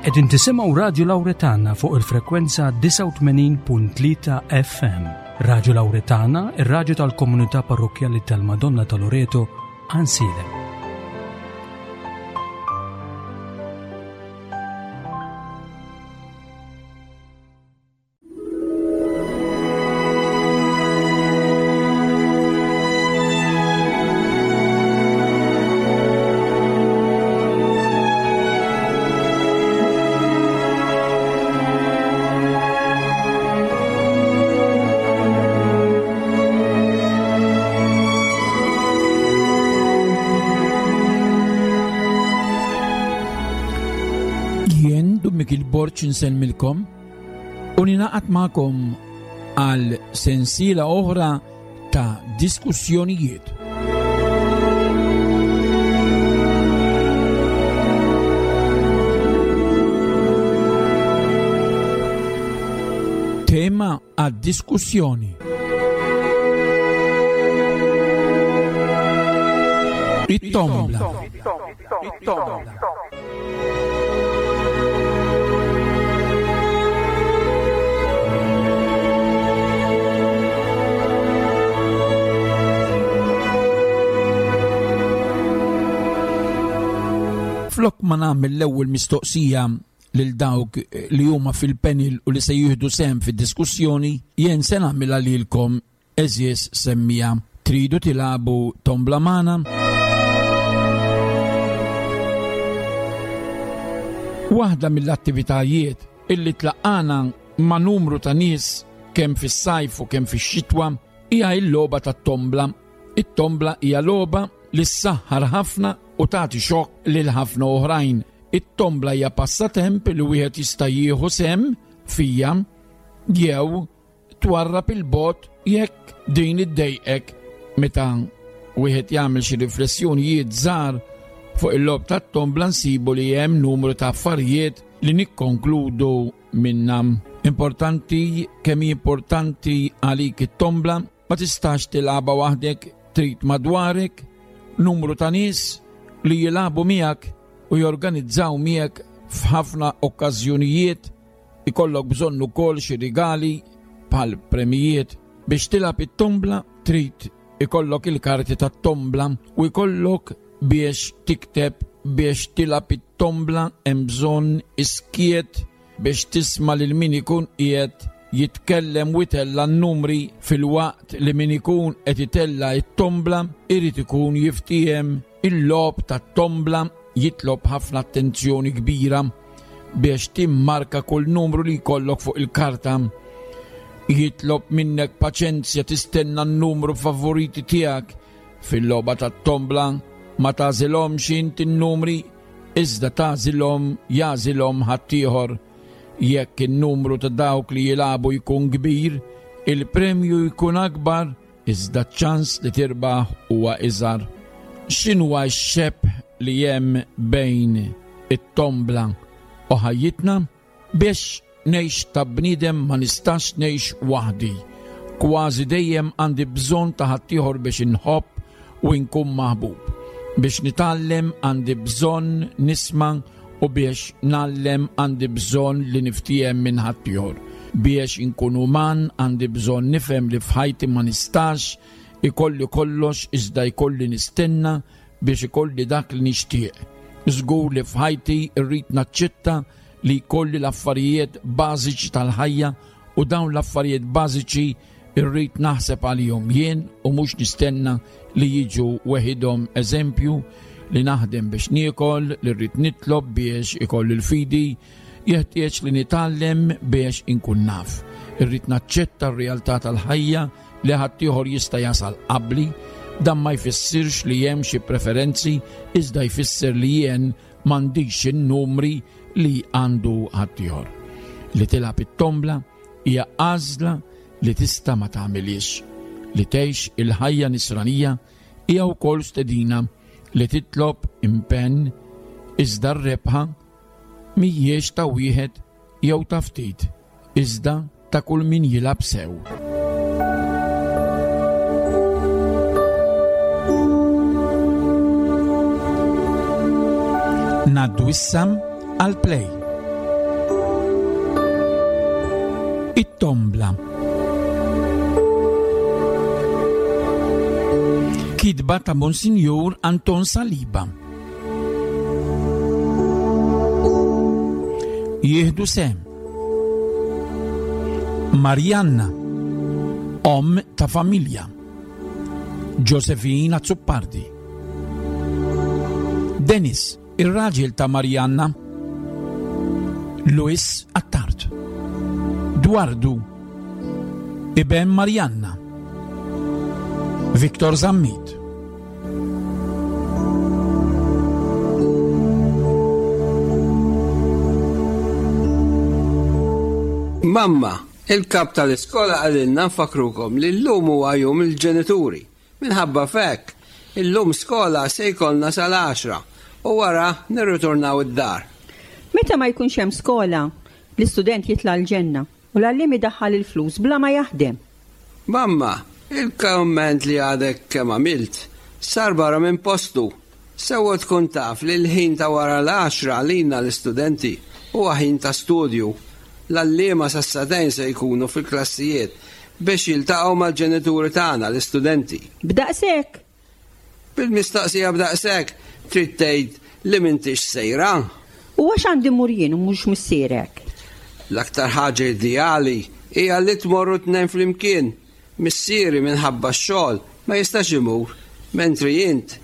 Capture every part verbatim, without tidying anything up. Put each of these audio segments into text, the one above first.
Qegħdin tisimgħu Radju Lawretana fuq il-frekwenza disgħa u tmenin punt tlieta F M. Radju Lawretana, ir-radju tal-komunità parrokkjali tal-Madonna ta' Loreto, Għajnsielem. Borġ insellmilkom u ninaqat magħkom għal sensiela oħra ta' diskussjonijiet. Tema għad-diskussjoni. It-tombla. It-tombla. Flok ma nagħmel l-ewwel mistoqsija lil dawk li huma fil-panel u li se jieħdu sehem fid-diskussjoni, jien se nagħmilha lilkom eżież semmija. Tridu tilagħbu tombla magħna? Waħda mill-attivitajiet illi tlaqqana ma' numru ta' nies kemm fis-sajf u kemm fix-xitwa hija l-logħba tat-tombla. It-tombla hija logħba li ssaħħar ħafna u tagħti xokk lil ħafna oħrajn. It-tombla hija passatemp li wieħed jista' jieħu sehem fija jew twarrab il-bot jekk din iddejqek. Meta wieħed jagħmel xi riflessjonijiet żgħar fuq il-logħob tat-tombla nsibu li hemm numru ta' affarijiet li nikkonkludu minnha. Importanti kemm hi importanti għalik it-tombla, ma tistax tilgħabha waħdek, trid madwarek numru ta' nies li jilagħbu miegħek u jorganizzaw miegħek f'ħafna okkażjonijiet. Ikollok bżonn ukoll xi rigali bħal premijiet. Biex tilgħab it-tombla trid ikollok il-karti tat-tombla u jkollok biex tikteb. Biex tilgħab it-tombla hemm bżonn iskiet biex tisma' lil min ikun qiegħed jitkellem u jtella' n-numri, filwaqt li min ikun qed itella' t-tombla irid ikun jiftiehem. Il-logħob tat-tombla jitlob ħafna attenzjoni kbira biex timmarka kull numru li jkollok fuq il-karta. Jitlob minnek paċenzja tistenna n-numru favoriti tiegħek. Fil-logħba tat-tombla ma tagħżilhomx int in-numri, iżda tagħżilhom jagħżilhom ħaddieħor. Jekk in-numru ta' dawk li jilagħbu jkun kbir, il-premju jkun akbar, iżda ċ-ċans li tirbaħ huwa iżgħar. X'inhuwa x-xebh li hemm bejn it-tombla u ħajjitna? Biex ngħix ta' bniedem ma nistax ngħix waħdi. Kważi dejjem għandi bżonn ta' ħaddieħor biex inħobb u nkun maħbub. Biex nitgħallem għandi bżonn nisma' u biex ngħallem għandi bżonn li niftiehem minn ħaddieħor. Biex inkun uman għandi bżonn nifhem li f'ħajti ma nistax ikolli kollox iżda jkolli nistenna biex ikolli dak li nixtieq. Żgur li f'ħajti rrid naċċetta li jkolli l-affarijiet bażiċi tal-ħajja u dawn l-affarijiet bażiċi rrid naħseb għalihom jien u mhux nistenna li jiġu weħidhom. Eżempju, li naħdem biex niekol, li rrid nitlob biex ikolli l-fidi, jeħtieġ li nitgħallem biex inkun naf. Irrid naċċetta r-realtà tal-ħajja li ħaddieħor jista' jasal qabli. Dan ma jfissirx li hemm xi preferenzi, iżda jfisser li jien m'għandix in-numri li għandu ħaddieħor. Li tilgħab it-tombla hija għażla li tista' ma tagħmilhiex. Li tgħix il-ħajja nisranija hija wkoll stedina li titlob impenn, iżda r-rebħa mhijiex ta' wieħed jew ta' ftit, iżda ta' kull min jilgħab sew. Ngħaddu issa għal play. It-tombla. Kitba ta' Monsinjur Anton Saliba. Jieħdu sehem Marianna, omm ta' familja, Josephine Azzopardi, Dennis, ir-raġel ta' Marianna, Luis Attard, Dwardu, iben Marianna, Victor Zammit. Mamma, il-kap tal-iskola qalilna nfakrukom li llum huwa jum il-ġenituri. Minħabba f'hekk, illum skola se jkollna sal-għaxra u wara nirritornaw id-dar. Meta ma jkunx hemm skola, l-istudent jitla' l-ġenna u l-għalliem idaħħal il-flus bla ma jaħdem. Mamma, il-komment li għadek kemm għamilt sar barra minn postu. Sewwa tkun taf li l-ħin ta' wara l-għaxra għalina l-istudenti huwa ħin ta' studju. L-għalliema sas-sagħtejn se jkunu fil-klassijiet biex jiltaqgħu mal-ġenituri tagħna l-istudenti. B'daqshekk? Bil-mistoqsija b'daqshekk trid tgħid li m'intix sejra. U għax għandi mmur jien u mhux missierek? L-aktar ħaġa ideali hija li tmorru tnejn flimkien. Missieri minħabba x-xogħol ma jistax imur, mentri int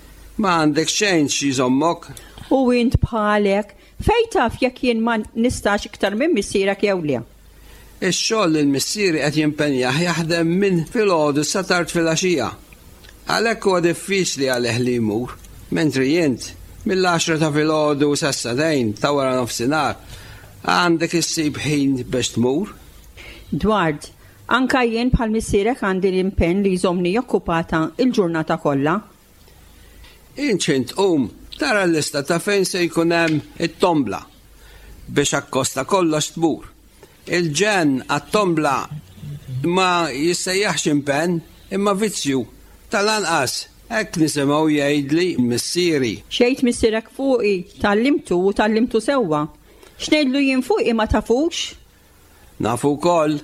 ma għandek xejn xi jżommok. U int bħalek, fejn taf jekk jien ma nistax iktar minn missierek jew le? Ix-xogħol li l-missieri qed jimpenjah jaħdem minn filgħodu sa tard filgħaxija. Għalhekk huwa diffiċli għalih li jmur, mentri int mill-għaxra ta' filgħodu sa sagħtejn ta' wara nofsinhar għandek issib ħin biex tmur. Dward, anka jien bħal missierek għandi l-impenn li jżommni okkupata il-ġurnata kollha. Int x'ħin tqum tara l-lista ta' fejn se jkun hemm it-tombla biex akkosta kollox tmur. Il-ġenn għat-tombla ma jissejjaħx impenn imma vizzju. Tal-anqas hekk nisimgħu jgħidli missieri. Xejt missierek fuqi, tgħallimtu u tgħallimtu sewwa. X'ngħidlu jien fuqi ma tafux? Nafu wkoll,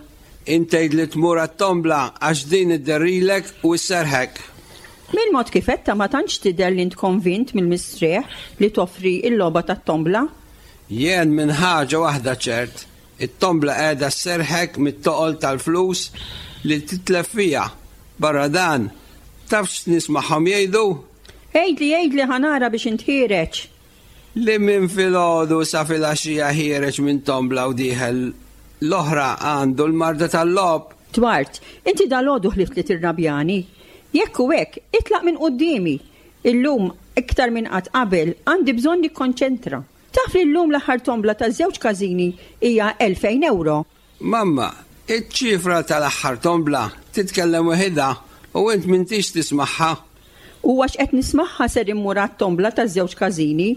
int tgħid li tmur għat-tombla għax din idderrilek u sserħek. Mill-mod kif għedtha ma tantx tidher li int konvint mill-mistrieħ li toffri l-logħba tat-tombla. Jien minn ħaġa waħda ċert, it-tombla qiegħda sserħek mit-toqol tal-flus li titlef fiha. Barra dan, taf x'nismagħhom jgħidu? Għidli, għidli ħa nara biex intħireġ. Li minn filgħodu sa filgħaxija ħiereġ minn tombla u dieħel l-oħra għandu l-marda tal-logħob. Dward, inti dal-għodu ħlift li tirrabjani. Jekk u hekk, itlaq minn quddiemi. Illum iktar minn qatt qabel għandi bżonn nikkonċentra. Taf li llum l-aħħar tombla ta' żewġ każini hija elfejn euro. Mamma, iċ-ċifra tal-aħħar tombla titkellem waħedha u int m'intix tismagħha. U għax qed nismagħha ser immur għat-tombla ta' żewġ każini,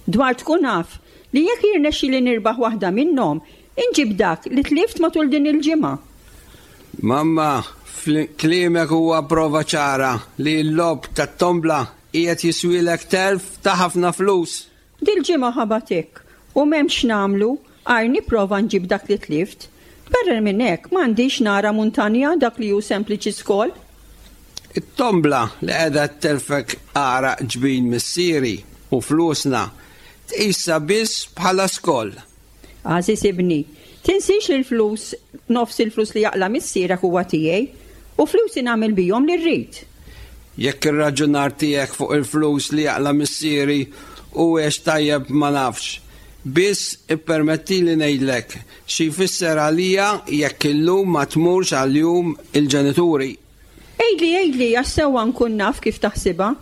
dwar tkun naf li jekk jirnexxi li nirbaħ waħda minnhom, inġib dak li tlift matul din il-ġimgħa. Mamma, kliemek huwa prova ċara li l-logħob tat-tombla qiegħed jiswilek telf ta' ħafna flus. Dil-ġimgħa ħabatek u m'hemmx nagħmlu għajr nipprova nġib dak li tlift. Barra minn hekk m'għandix nara muntanja dak li hu sempliċi skol. It-tombla li qiegħda telfek għaraq ġbin missieri u flusna tqisha biss bħala skol. Għażiż ibni, tinsiex li l-flus, nofs il-flus li jaqla' missierek huwa tiegħi u flusi nagħmel bihom li rrid. Jekk ir-raġunar tiegħek fuq il-flus li jaqla' missieri u għex tajjeb ma nafx, biss ippermettili ngħidlek xi jfisser għalija jekk illum ma tmurx għal-jum il-ġenituri. Għidli, għidli, għax sewwa nkun naf kif taħsibha.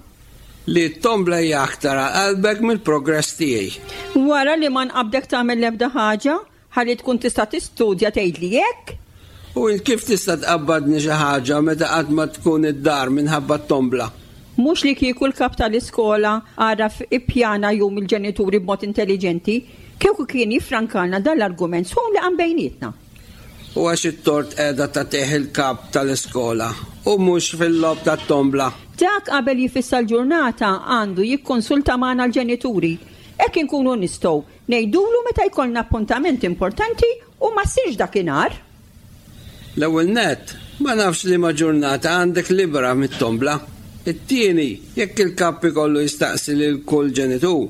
Li t-tombla hija aktar għal qalbek mill-progress tiegħi. Wara li ma nqabdek tagħmel l-ebda ħaġa, ħalli tkun tista' tistudja tgħidli hekk? U int kif tista' tqabbadni xi ħaġa meta qatt ma tkun id-dar minħabba t-tombla? Mhux li kieku l-kap tal-iskola għaraf ippjana jum il-ġenituri b'mod intelligenti, kieku kien jiffrankalna dan l-argument sħun li qam bejnietna. U għax it-tort qiegħda tagħtih il-kap tal-iskola u mhux fil-logħob tat-tombla. Dak qabel jifissa l-ġurnata għandu jikkonsulta magħna l-ġenituri. Hekk inkunu nistgħu ngħidulu meta jkollna appuntament importanti u ma ssirx dakinhar. L-ewwel nett, ma nafx liema ġurnata għandek libera mit-tombla. It-tieni, jekk il-kap ikollu jistaqsi lil kull ġenitur,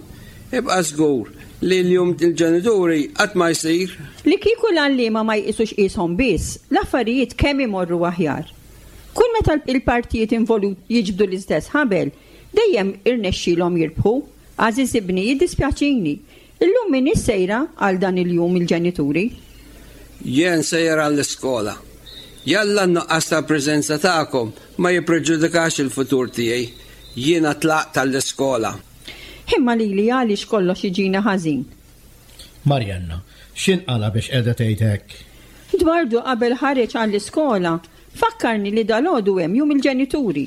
ibqa' żgur li l-jum il-ġenituri qatt ma jsir. Li kieku l-għalliema ma jqisux qishom biss, l-affarijiet kemm imorru aħjar. Kull meta il-partijiet involuti jiġbdu l-istess ħabel, dejjem irnexxielhom jirbħu. Għażiż ibni, jiddispjaċini. Illum m'iniex sejra għal dan il-jum il-ġenituri. Jien sejjer għall-iskola. Jalla n-nuqqas ta' preżenza tagħkom ma jippreġudikax il-futur tiegħi. Jiena tlaqt għall-iskola. Imma lili għaliex kollox jiġina ħażin. Marianna, x'inqala biex qiegħda tgħid hekk? Dwardu qabel ħareġ għall-iskola, fakkarni li dalgħodu hemm jum il-ġenituri.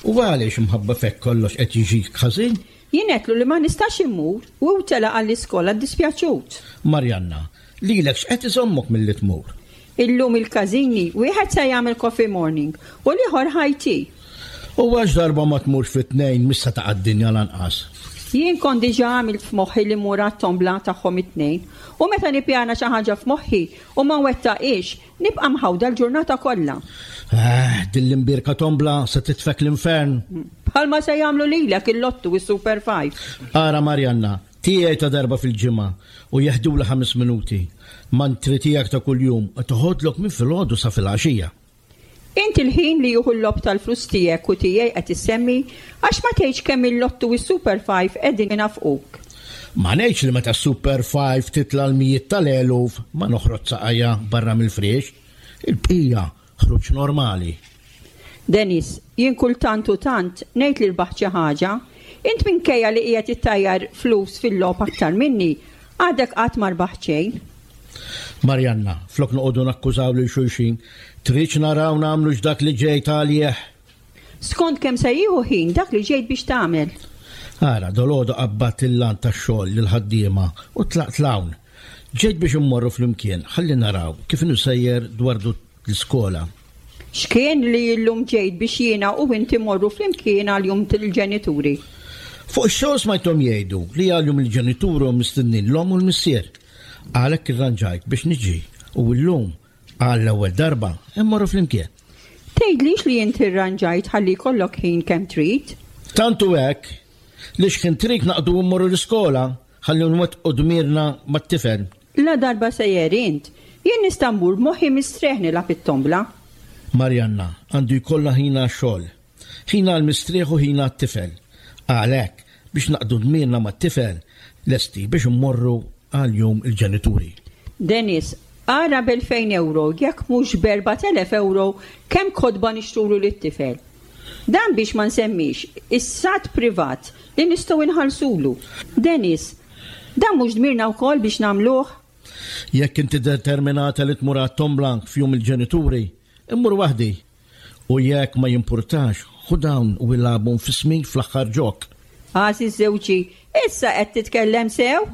U għaliex mħabba fek kollox qed jiġik ħażin? Jien għedtlu li ma nistax immur u hu telaq għall-iskola ddispjaċut. Marianna, lilek x'qed iżommok milli tmur? Illum il-każini wieħed se jagħmel coffee morning u l-ieħor high tea. U għax darba ma tmurx fit-tnejn mhix se taqa' d-dinja lanqas. Jien kont diġà għamilt f'moħħi li mmur għat-tombla tagħhom it-tnejn u meta nippjana xi ħaġa f'moħħi u ma nwettaqhiex, nibqa' mħawda l-ġurnata kollha. Eh, din l-imbierka tombla se titfek l-infern. Bħalma se jagħmlu lilek il-lottu u s-Super Five. Ara Marianna, tiegħi ta' darba fil-ġimgħa u jeħdula ħames minuti. Mantri tiegħek ta' kuljum toħodlok minn filgħodu sa filgħaxija. Inti l-ħin li juhu l-lob tal-flus tiegħek u tiegħi qed issemmi għax ma tgħidx kemm il-lottu u s-Super Five qegħdin inafquk. Ma ngħidx li meta s-Super Five titla' l-mijiet tal-eluf ma noħroġ saqajja barra mill-friex. Il-bqija ħruġ normali. Dennis, jien kultant u tant ngħid li rbaħt xi ħaġa. Int minkejja li qiegħed ittajjar flus fil-logħob aktar minni, għadek qatt ma rbaħt xejn. Marianna, flok noqogħdu nakkużaw lil xulxin, tridx naraw nagħmlu x'dak li ġejt għalih. Skont kemm se jieħu ħin dak li ġejt biex tagħmel. Ara, dolodu qabbat il-lan tax-xogħol lil ħaddiema u tlaqt l-hawn. Ġejt biex immorru flimkien, ħalli naraw kif inhu sejjer dwar l-iskola. X'kien li llum ġejt biex jiena u inti morru flimkien għal jum il-ġenituri? Fuq ix-xogħol smajthom jgħidu li għal jum il-ġenituri hum mistednin l-omm u l-missier. Għalhekk irranġajt biex niġi u llum għall-ewwel darba immorru flimkien. Tgħidlix li inti rranġajt ħalli jkollok ħin kemm trid? Tant hu hekk li x'ħin trid naqdu mmorru l-iskola ħalli nwettqu dmirna mat-tifel. La darba sejjer int, jien nista' mmur b'moħħi mistrieħ nilgħab it-tombla. Marianna, għandu jkollna ħin għax-xogħol. Ħin għall-mistrieħ u ħin għat-tifel. Għalhekk biex naqdu dmirna mat-tifel lesti biex immorru għal jum il-ġenituri. Dennis, ara b'elfejn euro, jekk mhux b'erbat elef euro, kemm kotba nixtrulu lit-tifel. Dan biex ma nsemmix is-sat privat li nistgħu nħallsulu. Dennis, dan mhux dmirna wkoll biex nagħmluh? Jekk inti determinata li tmur għat-tombla f'jum il-ġenituri, immur waħdi. U jekk ma jimpurtax, ħu dawn u ilagħbhom f'ismi fl-aħħar ġok. Għażiż żewġi, issa qed titkellem sew?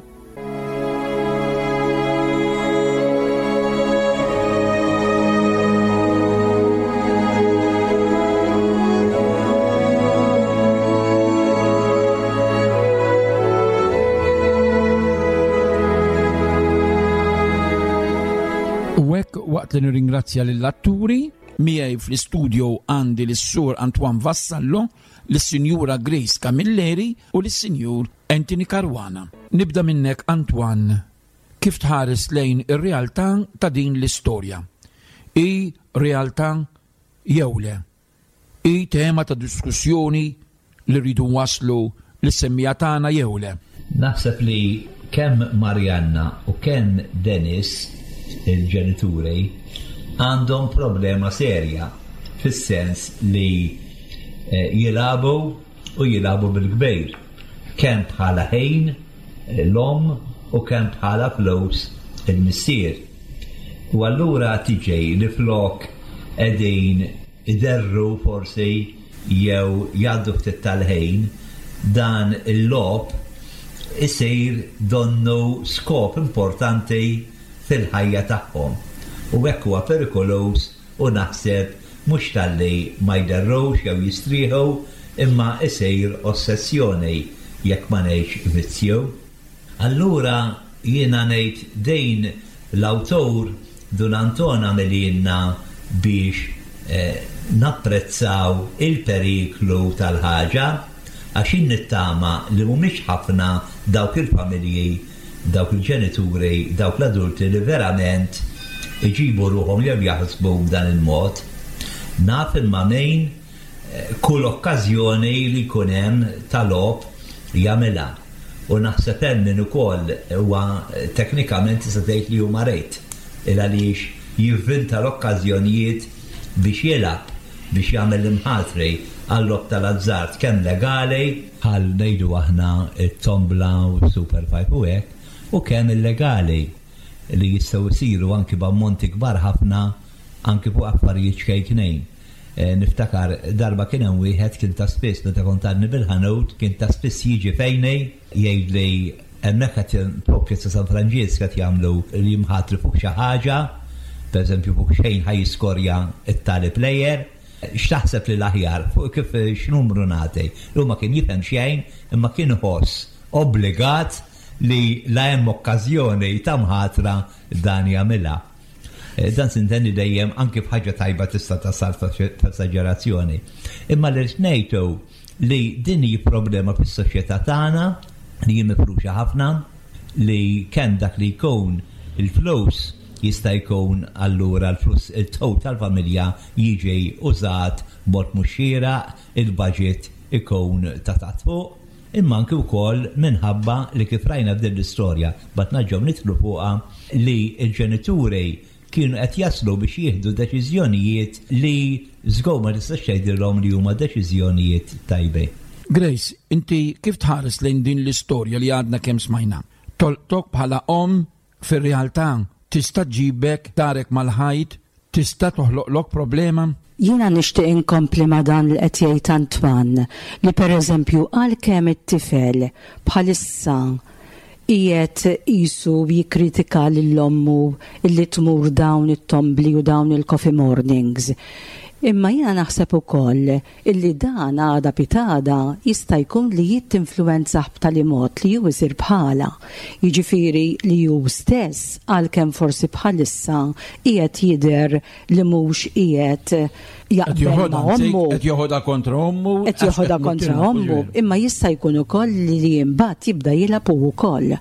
U hekk waqt li nirringrazzja lill-atturi, miegħi fl-istudio għandi lis-sur Antoine Vassallo, lis-Sinjura Grace Camilleri u lis-Sinjur Anthony Caruana. Nibda minnek Antoine, kif tħares lejn ir-realtà ta' din l-istorja? I realtà jew le? I tema ta' diskussjoni li rridu waslu lis-semmija tagħna jew le? Naħseb li kemm Marianna u kemm Dennis, il-ġenituri, għandhom problema serja fis-sens li, eh, jilagħbu u jilagħbu bil-kbir, kemm bħala ħin l-omm u kemm bħala flus il-missier. U allura tiġi li flok qegħdin iderru forsi jew jgħaddu ftit tal-ħin, dan il-logħob isir donnu skop importanti fil-ħajja tagħhom. U hekk huwa perikoluż u naħseb mhux talli ma jderrux jew jistrieħu, imma isir ossessjoni jekk ma ngħidx vizzju. Allura jiena ngħid din l-awtur Dun Anton għamililna biex eh, napprezzaw il-periklu tal-ħaġa, għax nittama li mhumiex ħafna dawk il-familji, dawk il-ġenituri, dawk l-adulti li verament iġibu ruħhom jew jaħsbu b'dan il-mod. Naf imma min eh, kull okkażjoni li jkun hemm tal-logħob jagħmilha. U naħseb hemm min ukoll huwa teknikament tista' tgħid li huma rejt, il għaliex jivvinta l-okkażjonijiet biex jilgħab, biex jagħmel l-imħatri għal-logħob tal-azzard, kemm legali, bħal ngħidu aħna it-tombla u Super Five u hekk, u kemm illegali li jistgħu jsiru anki b'ammonti kbar ħafna, anki fuq affarijiet ċkejknejn. Eh, niftakar darba kien hemm wieħed, kien ta' spiss meta kont għadni bil-ħanut, kien ta' spiss jiġi fejni jgħidli hemmhekk qed propju ta' San Franġisk qed jagħmlu l-imħatri fuq xi ħaġa, pereżempju fuq xejn ħa jiskorja it-tali player, x'taħseb li l-aħjar, fuq kif x'numru nagħti? Hu ma kien jifhem xejn, imma kien iħoss obbligat li la hemm okkażjoni ta' mħatra dan jagħmilha. Eh, dan sintendi dejjem anki f'ħaġa tajba tista' tasal f'esaġerazzjoni. Imma li ngħidu li din hi problema fis-soċjetà tagħna li hi mifruxa ħafna, li kemm dak li jkun il-flus jista' jkun allura l-flus il-tow tal-familja jiġi użat b'mod mhux xieraq, il-budget ikun ta' taħt fuq, imma anki wkoll minħabba li kif rajna f'din l-istorja, bat naġġew nidħlu fuqha, li l-ġenituri kienu qed jaslu biex jieħdu deċiżjonijiet li żgur ma tistax tgħidilhom li huma deċiżjonijiet tajbin. Grace, inti kif tħares lejn din l-istorja li għadna kemm smajna? Tolqtok bħala om fir-realtà tista' ġibek darek mal-ħajt, tista' toħloqlok problema? Jiena nixtieq inkompli ma' dan li qed jgħid Antoine, li pereżempju għalkemm it-tifel bħalissa qiegħed qisu jikkritika lil ommu illi tmur dawn it-tombli u dawn il-coffee mornings. Imma jiena naħseb ukoll illi dan għada pitgħada jista' jkun li jittinfluwenzah b'tali mod li hu jsir bħala. Jiġifieri li hu stess, għalkemm forsi bħalissa qiegħed jidher li mhux qiegħed jaqbel ma' ommu. Qed joħodha kontra ommu. Qed joħodha kontra ommu, imma jista' jkun ukoll li mbagħad jibda jilgħab hu wkoll.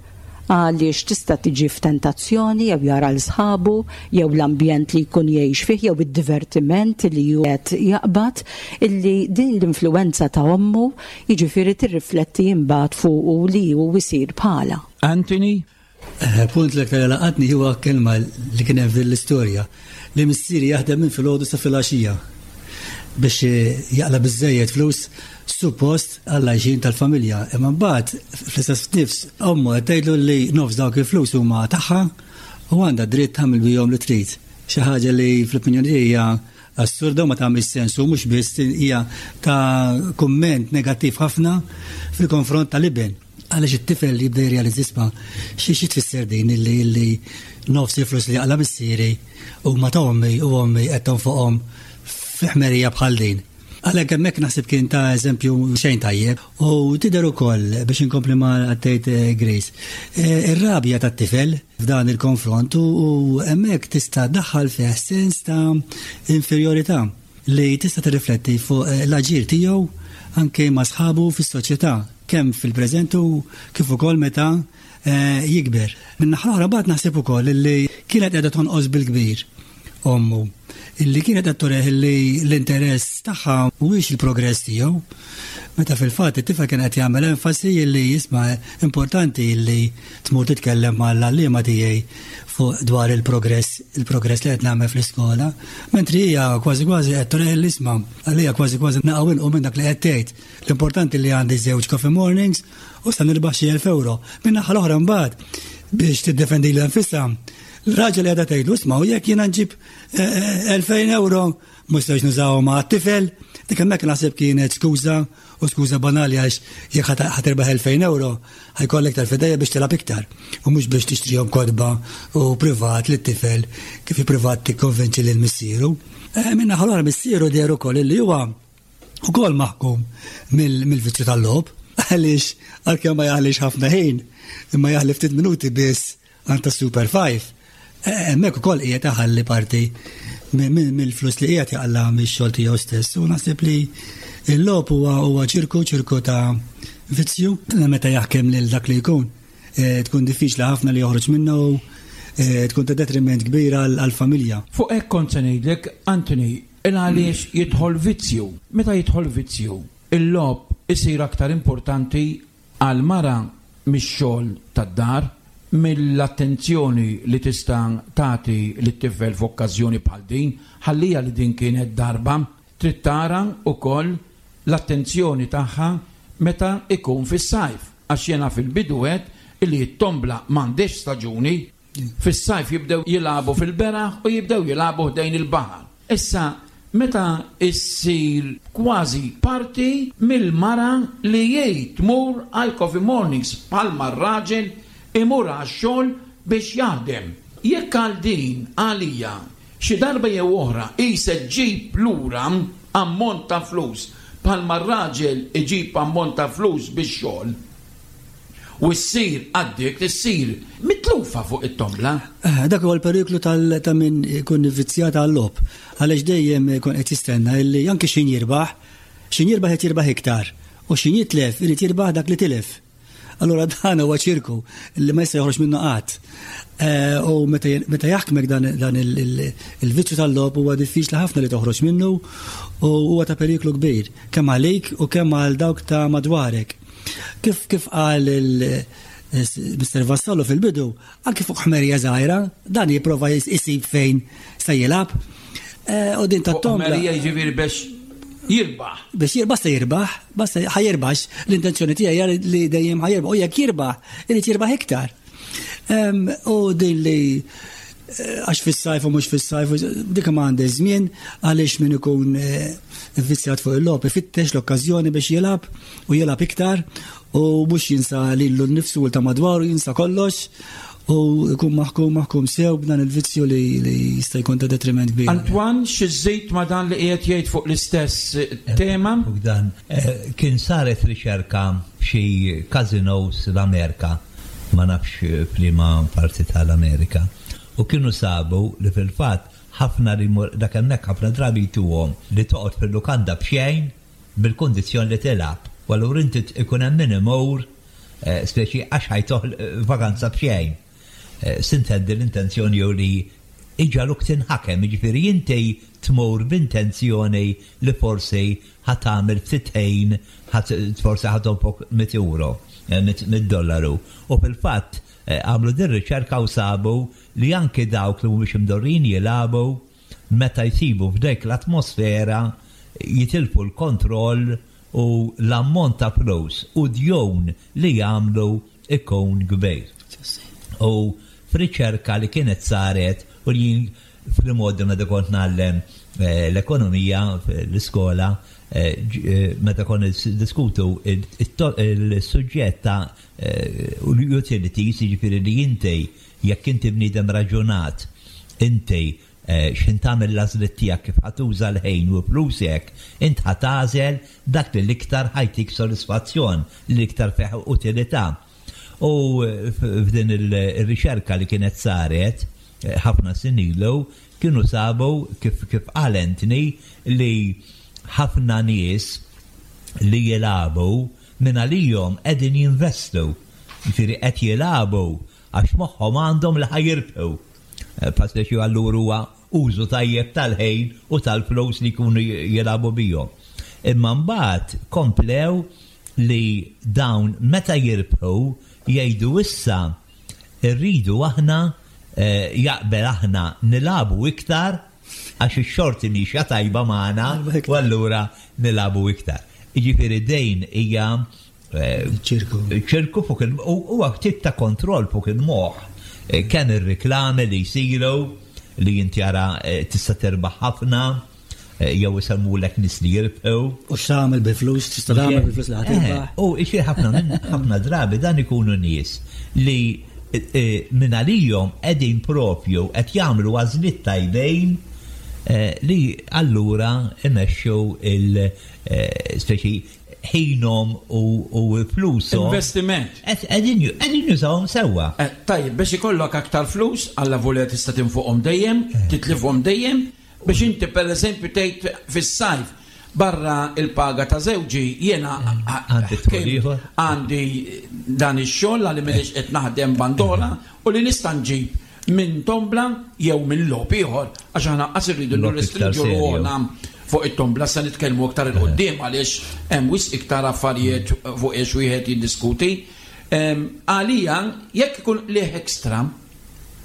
Għaliex tista' tiġi f'tentazzjoni jew jara l sħabu jew l-ambjent li jkun jgħix fih jew id-divertiment li hu qed jaqbad, illi din l-influwenza ta' ommu jiġifieri tirrifletti mbagħad fuqu li hu jsir bħala. Anthony? Eh, punt li aktar laqatni huwa kelma li kien hemm f'din l-istorja, li missieri jaħdem minn filgħodu sa filgħaxija biex jaqla' biżżejjed flus suppost għall-għajxien tal-familja. Imma mbagħad fl-istess nifs ommu qed tgħidlu li nofs dawk il-flus huma tagħha u għandha dritt tagħmel bihom li trid. Xi ħaġa li fl-opinjoni hija assurda u ma tagħmilx sens, u mhux biss hija ta' kumment negattiv ħafna fil-konfront tal-iben. Għaliex it-tifel jibda jirrealizza, isma' xi xi tfisser din illi, illi nofs il-flus li jaqla' missieri huma ta' ommi u ommi qed tonfoqhom fi ħmerija bħal din. Għalhekk hemmhekk naħseb kien ta' eżempju xejn tajjeb. U tidher ukoll, biex inkompli ma għaddejt, eh, Grace, eh, ir-rabja tat-tifel f'dan il-konfront u, u hemmhekk tista' daħħal fih sens ta' inferjorità li tista' tirrifletti fuq, eh, l-aġir tiegħu anke ma' sħabu fis-soċjetà, kemm fil-preżent u kif ukoll meta, eh, jikber. Minn naħa l-oħra mbagħad naħseb ukoll li kienet qiegħda tonqos bil-kbir ommu, illi kienet qed tureh li l-interess tagħha mhuwiex il-progress tiegħu, meta fil-fatt it-tifel kien qed jagħmel enfasi illi jisma' importanti illi tmur titkellem mal-għalliema tiegħi fuq dwar il-progress, il-progress li qed nagħmel fl-iskola, mentri hija kważi kważi qed tureh li isma' għalija kważi kważi naqgħu inqu minn dak li qed tgħid. L-importanti li għandi żewġ coffee mornings u sa nirbaħ xi elf euro. Minn naħa l-oħra mbagħad biex tiddefendi lilha nfisha, l-raġel li għadha tgħidlu isma' u jekk jiena nġib, eh, eh, elfejn euro mhux se nużawhom ma' tifel, dik hemmhekk naħseb kienet skuża u skuża banali, għax jekk ħa-, ħatirbaħ elfejn euro ħajkollek iktar fidejja biex tilgħab iktar u mhux biex tixtrihom kotba u privat lit-tifel kif privat tikkonvinċi lil missieru. Eh, Minna ħalora missieru deher ukoll illi huwa ukoll maħkum mill-, mill-vizzju tal-logħob, għaliex għalkemm ma jaħlix ħafna ħin, imma jaħli ftit minuti biss għand ta' Super Five. Eh, hemmhekk ukoll qiegħed iħalli parti Mill-flus li qiegħed jaqla' mix-xogħol tiegħu stess. U naħseb li l-logħob huwa huwa ċirku ċirku ta' vizzju li meta jaħkem lil dak li jkun. Eh, tkun diffiċli ħafna li joħroġ minnu, eh, tkun ta' detriment kbir għall-familja. Fuq hekk kont se ngħidlek, Anthony, il għaliex jidħol vizzju. Meta jidħol vizzju, il-logħob isir aktar importanti għal mara mix-xogħol tad-dar, mill-attenzjoni li tista' tagħti lit-tifel f'okkażjoni bħal din, ħallija li din kienet darba, trid tara wkoll l-attenzjoni tagħha meta ikun fis-sajf. Għax jiena fil-bidu għedt illi t-tombla m'għandix staġuni, fis-sajf jibdew jilagħbu fil-beraħ u jibdew jilagħbu ħdejn il-baħar. Issa, meta issir kważi parti mill-mara li jgħid tmur għal coffee mornings bħalma r-raġel imur għax-xogħol biex jaħdem. Jekk għal din għalija xi darba jew oħra hi se ġġib lura ammont ta' flus bħalma r-raġel iġib ammont ta' flus bix-xogħol u ssir addict, issir mitlufa fuq it-tombla. Eh, dak huwa l-periklu ta' min ikun vizzjat għal-logħob. Għaliex dejjem ikun qed jistenna illi anke x'ħin jirbaħ, x'ħin jirbaħ qed jirbaħ iktar u x'ħin jitlef irid jirbaħ dak li tilef. Allura dan huwa ċirku li ma jista' joħroġ minnu qatt. Eh, u meta jaħkmek dan il-vizzju tal-logħob huwa diffiċli ħafna li toħroġ minnu u huwa ta' periklu kbir kemm għalik u kemm għal dawk ta' madwarek. Kif kif qal il-Mister Vassallo fil-bidu, anki fuq ħmerija żgħira, dan jipprova jsib fejn se jilgħab. Eh, u din tat-tombla. Ħmerija jiġifieri biex jirbaħ. Biex jirbaħ, basta jirbaħ, basta ħa jirbaħ, l-intenzjoni tiegħi li dejjem ħa jirbaħ, u jekk jirbaħ, irid jirbaħ iktar. U din li eh, għax fis-sajf u mhux fis-sajf, dik ma għandha żmien għaliex min ikun eh, vizzjat fuq il-logħob ifittex l-okkażjoni biex jilgħab u jilgħab iktar u mhux jinsa lilu nnifsu u ta' madwaru, jinsa kollox u jkun maħkum maħkum sew b'dan il-vizzju li jista' jkun ta' detriment kbir. Antoine, xi żżid ma' dan li qiegħed jgħid fuq l-istess tema? Fuq dan, eh, kien saret riċerka f'xi casinos l-Amerika, ma nafx f'liema parti tal-Amerika, u kienu sabu li fil-fatt ħafna li dak hemmhekk ħafna drabi jtuhom li toqgħod fil-lukanda b'xejn bil-kundizzjoni li tilgħab. U allura inti ikun hemm min imur eh, speċi għax ħa jtuh vakanza b'xejn. Eh, sintendi l-intenzjoni jew li iġagħluk tinħakem, jiġifieri inti tmur b'intenzjoni li forsi ħa tagħmel ftit ħin, forsi ħa tonfoq mitt euro, eh, mitt dollaru. U fil-fatt eh, għamlu din riċerka u sabu li anki dawk li mhumiex imdorrin jilagħbu meta jsibu f'dek l-atmosfera jitilfu l-kontroll u l-ammont ta' flus u djon li jagħmlu ikun kbir. U f'riċerka li kienet saret u li fil-modi meta kont ngħallem eh, l-ekonomija l-iskola, eh, eh, meta kont diskutu il-suġġett ta' utilities, jiġifieri li inti jekk inti bniedem raġunat, inti x'ħin tagħmel l-għażliet tiegħek kif ħa tuża l-ħin u flusek, int ħa tagħżel dak li l-iktar ħa jtik sodisfazzjon, li l-iktar fih utilità. U f'din il-riċerka li kienet saret ħafna snin ilu, kienu sabu kif kif qal Anthony li ħafna nies li jilagħbu minn għalihom qegħdin jinvestu. Jiġifieri qed jilagħbu għax moħħhom għandhom li ħa jirbħu. Pasleċi allura huwa użu tajjeb tal-ħin u tal-flus li jkunu jilagħbu bihom. Imma mbagħad komplew li dawn meta jirbħu jgħidu issa rridu aħna eh, jaqbel aħna nilagħbu iktar għax ix-xorti mhix tajba magħna u allura nilagħbu iktar. Jiġifieri dejn hija eh, ċirku. ċirku fuq il huwa tip ta' kontroll fuq il-moħħ. Eh, kemm ir-reklami li jsiru li inti jara tista' terbaħ ħafna, jew isemmulek nies li jirbħu. U x'tagħmel bil-flus, tista' tagħmel bil-flus li ħa tirbaħ. U xi ħafna minn ħafna drabi dan ikunu nies li minn għalihom qegħdin propju qed jagħmlu għażliet tajbejn li allura imexxu il speċi ħinhom u flushom. Investiment. Qegħdin jużawhom sewwa. Tajjeb, biex ikollok aktar flus, alla volja tista' tinfuqhom dejjem, titlifhom dejjem, Biex inti pereżempju tgħid fis-sajf barra il-paga ta' żewġi jiena Għandi dħul ieħor. għandi dan ix-xogħol għalli m'iniex qed naħdem bandola u li nista' nġib minn tombla jew minn logħob ieħor, għax aħna qas irridu Logħob iktar nirrestrinġu serju. ruħna fuq it-tombla. Se nitkellmu iktar 'il quddiem għaliex hemm wisq iktar affarijiet fuq iex wieħed jiddiskuti. Em, Għalija jekk ikun liħ ekstra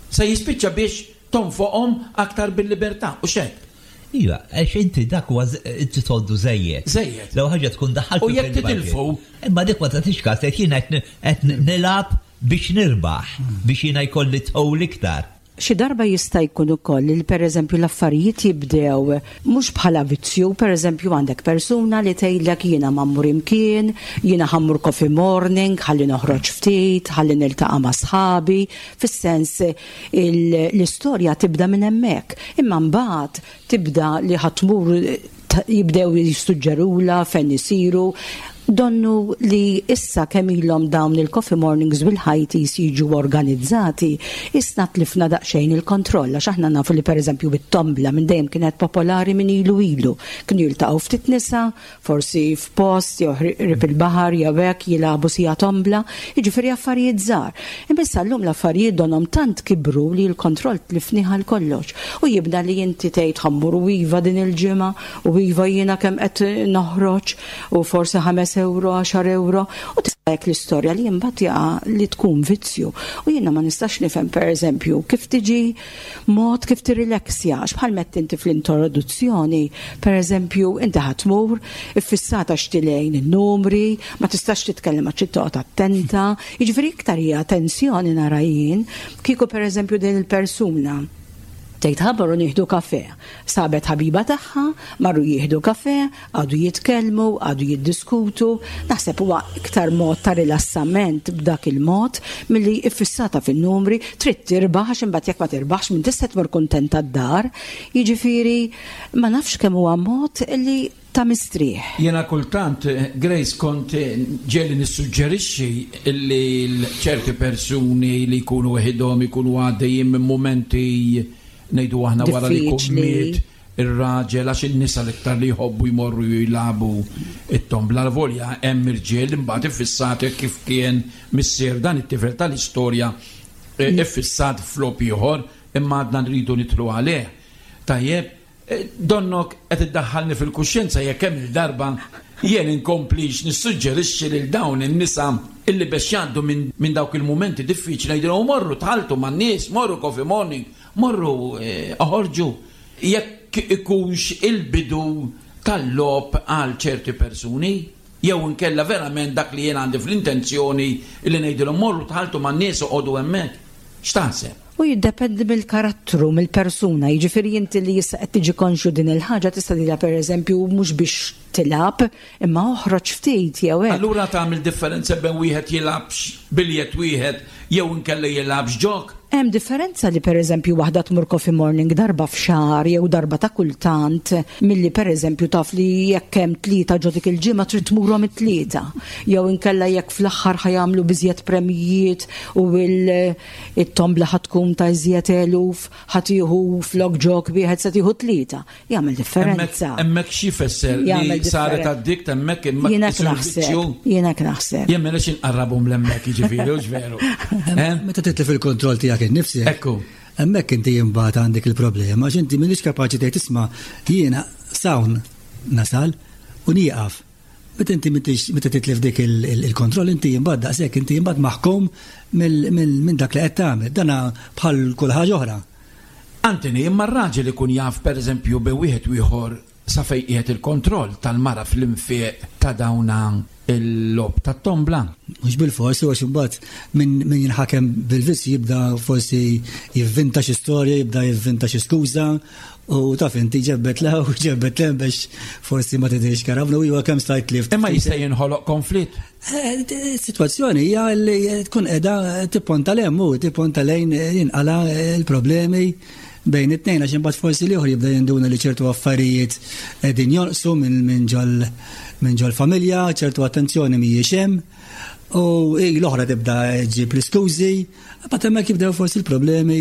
se jispiċċa biex tonfoqhom aktar bil-libertà u xek. Iva, għax inti dak huwa z- inti tgħoddu żejjed. Żejjed. Lew ħaġa tkun daħalt U jekk titilfu? Imma dik ma tagħtix każ, qed jiena qed qed nilgħab biex nirbaħ, biex jiena jkolli dħul iktar. Xi darba jista' jkun ukoll li pereżempju l-affarijiet jibdew mhux bħala vizzju, pereżempju għandek persuna li tgħidlek jiena ma mmur imkien, jiena ħa mmur coffee morning, ħalli noħroġ ftit, ħalli niltaqa' ma' sħabi, fis-sens il- l-istorja tibda minn hemmhekk. Imma mbagħad tibda li ħa tmur ta- jibdew jissuġġerula fejn isiru. Donnu li issa kemm ilhom dawn il-coffee mornings bil-high teas jiġu organizzati, issa tlifna daqsxejn il-kontroll, għax aħna nafu li pereżempju bit-tombla minn dejjem kienet popolari minn ilu ilu. Kienu jiltaqgħu ftit nisa, forsi f'post jew qrib il-baħar jew hekk jilagħbu sija tombla, jiġifieri affarijiet żgħar. Imma issa llum l-affarijiet donhom tant kibru li l-kontroll tlifnih għal kollox. U jibda li inti tgħid ħa mmur u iva din il-ġimgħa u iva jiena kemm qed noħroġ u forsi ħames euro, għaxar euro, u tista' l-istorja li imbagħad jaqa' li tkun vizzju. U jiena ma nistax nifhem, pereżempju, kif tiġi mod kif tirrilaxxja, għax bħal mett inti fl-introduzzjoni, pereżempju, inti ħa tmur iffissata xtilejn in-numri, ma tistax titkellem għax toqgħod attenta, jiġifieri iktar hija tensjoni nara jien, kieku pereżempju din il-persuna tgħid ħa mmorru nieħdu kafe. Sabet ħabiba tagħha, marru jieħdu kafe, għadu jitkellmu, għadu jiddiskutu. Naħseb huwa iktar mod ta' rilassament b'dak il-mod milli iffissata fin-numri, trid tirbaħ, għax imbagħad jekk ma tirbaħx minn tista' tmur kuntenta d-dar. Jiġifieri ma nafx kemm huwa mod li ta' mistrieħ. Jena kultant, eh, Grace, kont eh, ġieli nissuġġerixxi li ċerti persuni li jkunu weħidhom, ikunu għaddejjin minn momenti, ngħidu aħna, wara li jkun Diffiċli. miet ir-raġel, għax in-nisa l-iktar li jħobbu jmorru jilagħbu it-tombla, volja hemm irġiel imbagħad iffissati kif kien missier dan it-tifel tal-istorja, eh, iffissat f'logħob ieħor, imma għadna nridu nidħlu għalih. Tajjeb, eh, donnok qed iddaħħalni fil-kuxjenza jekk hemm il-darba jien inkomplix nissuġġerixxi lil dawn in-nisa illi biex jgħaddu minn min dawk il-mumenti diffiċli jgħidilhom morru tħalltu man-nies, morru coffee morning, morru eh, oħorġu. Jekk ikunx il-bidu tal-logħob għal ċerti persuni, jew inkella verament dak li jien għandi fl-intenzjoni illi ngħidilhom morru tħalltu man-nies u qogħdu hemmhekk. X'taħseb? U jiddependi mill-karattru, mill-persuna, jiġifieri inti li issa qed tiġi konxju din il-ħaġa tista' tgħidilha pereżempju mhux biex tilgħab, imma oħroġ ftit jew hekk. Allura tagħmel differenza bejn wieħed jilgħabx biljett wieħed jew inkella jilgħabx ġok? Hemm differenza li pereżempju waħda tmur coffee morning darba f'xahar jew darba ta' kultant milli pereżempju taf li jekk hemm tlieta ġo dik il-ġimgħa trid tmurhom it-tlieta. Jew inkella jekk fl-aħħar ħa jagħmlu biżjed premijiet u il-tombla ħa tkun ta' iżjed eluf, ħa tieħu flok ġok wieħed se tieħu tlieta. Jagħmel differenza. Hemmhekk xi jfisser li Jagħmel saret differenza. addict hemmhekk imma Jiena isir naħseb, vizzju? jiena naħseb. Jien m'għandix inqarrabhom l'hemmhekk, jiġifieri, hux veru? Eh? Meta titlef il-kontroll tiegħek innifsek. Ekku. Hemmhekk inti imbagħad għandek il-problema, għax inti m'iniex kapaċi tgħid isma' jiena s'hawn nasal u nieqaf. Meta inti m'intix- meta titlef dik il- il- il-kontroll inti imbagħad daqshekk inti imbagħad maħkum mill- mill- minn dak li qed tagħmel. Dana bħal kull ħaġa oħra. Antony, imma r-raġel ikun jaf pereżempju bejn wieħed u ieħor sa fejn qiegħed il-kontroll tal-mara fl-infiq ta' dawna il-logħob tat-tombla. Mhux bil-fors, għax imbagħad min min jinħakem bil-vizzju jibda forsi jivvinta xi storja, jibda jivvinta xi skuża u taf inti ġebbet lew u ġebbet lem biex forsi ma tidhirx karavna u iwa kemm stajt tlift. Imma jista' jinħoloq konflitt. Eh, Situazzjoni hija li tkun qiegħda tipponta lejn u tipponta lejn jinqala il-problemi bejn it-tnejn, għax imbagħad forsi l-ieħor jibda jinduna li ċertu affarijiet qegħdin jonqsu minn minn ġol minn ġol familja, ċertu attenzjoni mhijiex hemm. U l-oħra tibda ġġib l-iskużi, but hemmhekk jibdew forsi l-problemi.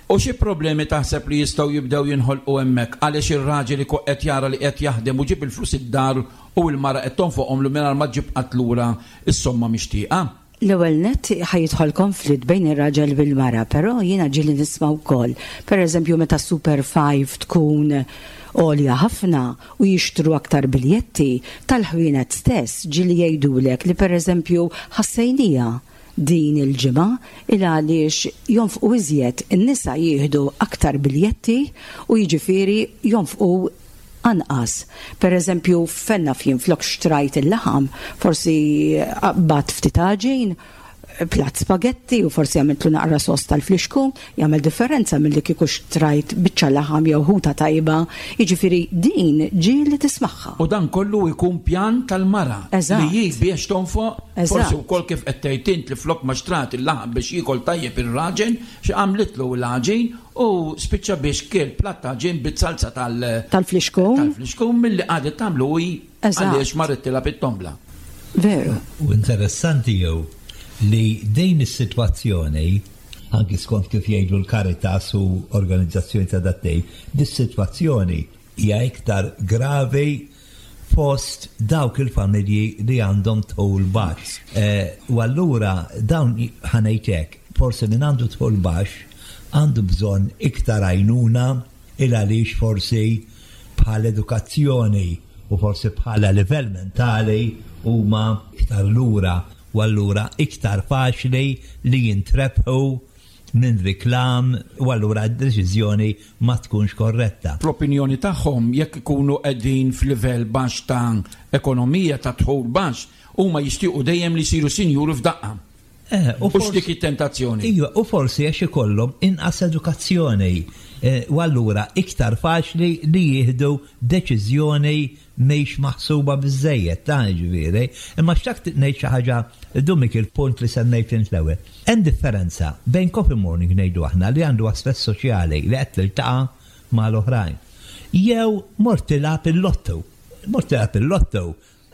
U xi problemi taħseb li jistgħu jibdew jinħolqu hemmhekk għaliex ir-raġel ikun qed jara li qed jaħdem u ġib il-flus id-dar u l-mara qed tonfoqhom lu mingħajr ma ġib qatt lura is-somma mixtieqa? L-ewwel nett ħa jidħol konflitt bejn ir-raġel bil-mara, però jiena ġieli nisma' wkoll. Per eżempju, meta Super Five tkun għolja ħafna u jixtru aktar biljetti tal-ħwienet stess ġieli jgħidulek li per eżempju ħassejnija din il-ġimgħa il għaliex jonfqu iżjed, in-nisa jieħdu aktar biljetti u jiġifieri jonfqu anqas. Per eżempju, fenna fjien flok xtrajt il-laħam, forsi bat ftit għaġin, plat spagetti u forsi għamiltlu naqra sos tal-flixku, jagħmel differenza milli kieku xtrajt biċċa laħam jew ħuta tajba. Jiġifieri din ġieli tismagħha. U dan kollu jkun pjan tal-mara Eżatt. li hi biex tonfoq, Eżatt. forsi wkoll kif qed tgħid int li flok ma xtrat il-laħam biex jiekol tajjeb ir-raġel, xi għamlitlu l-għaġin u spiċċa biex kiel platt għaġin bit-salsa tal- Tal-flixku. Tal-flixku milli qagħdet tagħmlu hi Eżatt. għaliex marret tilgħab it-tombla. Veru. U interessanti jew li din is-sitwazzjoni, anki skont kif jgħidu l-Caritas u organizzazzjoni ta' dat-tip, dis-sitwazzjoni hija iktar gravi fost dawk il-familji li għandhom dħul baxx. Eh, U allura dawn ħa ngħidlek, forsi min għandu dħul baxx għandu bżonn iktar għajnuna il għaliex forsi bħal edukazzjoni u forsi bħala livell mentali huma iktar lura u allura iktar faċli li jintrebħu minn riklam u allura d-deċiżjoni ma tkunx korretta. Fl-opinjoni tagħhom jekk ikunu qegħdin f'livell baxx ta' ekonomija ta' dħul baxx, huma jixtiequ dejjem li jsiru sinjuri f'daqqa. Eh, U dik it-tentazzjoni. Iva, u forsi għax ikollhom inqas edukazzjoni eh, u allura iktar faċli li jieħdu deċiżjoni mhix maħsuba biżejjed ta' ġifieri. Imma xtaqt ngħid xi ħaġa dumik il-punt li semmejt int l-ewwel. Hemm differenza bejn coffee morning ngħidu aħna li għandu aspett soċjali li qed tiltaqa' mal-oħrajn. Jew mort tilgħab il-lottu. Mort tilgħab il-lottu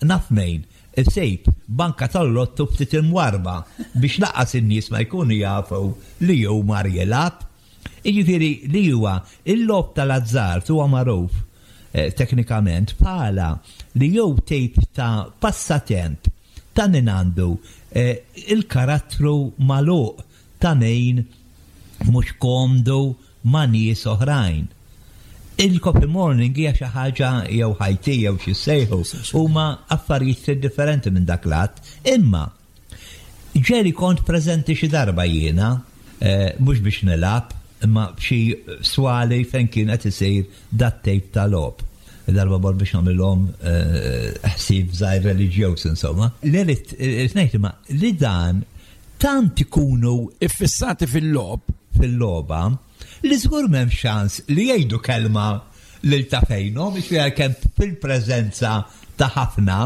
naf min isib banka tal-lottu ftit imwarba biex lanqas in-nies ma jkunu jafu li jew mar jilgħab. Jiġifieri li huwa il-logħob tal-azzard huwa magħruf eh, teknikament bħala li jew tip ta' passatemp ta' min għandu eh, il-karattru magħluq ta' min mhux komdu ma' nies oħrajn. Il-coffee morning hija xi ħaġa jew high tea jew xi sejħu huma affarijiet differenti minn dak lat, imma ġieli kont preżenti xi darba jiena, eh, mhux biex nilgħab, imma f'xi swali fejn kien qed isir dat tip ta' logħob. Darba bor biex nagħmilhom eh, ħsieb żgħir reliġjuż insomma. Li rrid ngħid imma li dan tant ikunu iffissati fil-logħob fil-logħba li żgur m'hemm ċans li jgħidu kelma lil ta' fejnhom biex fiha kemm fil-preżenza ta' ħafna,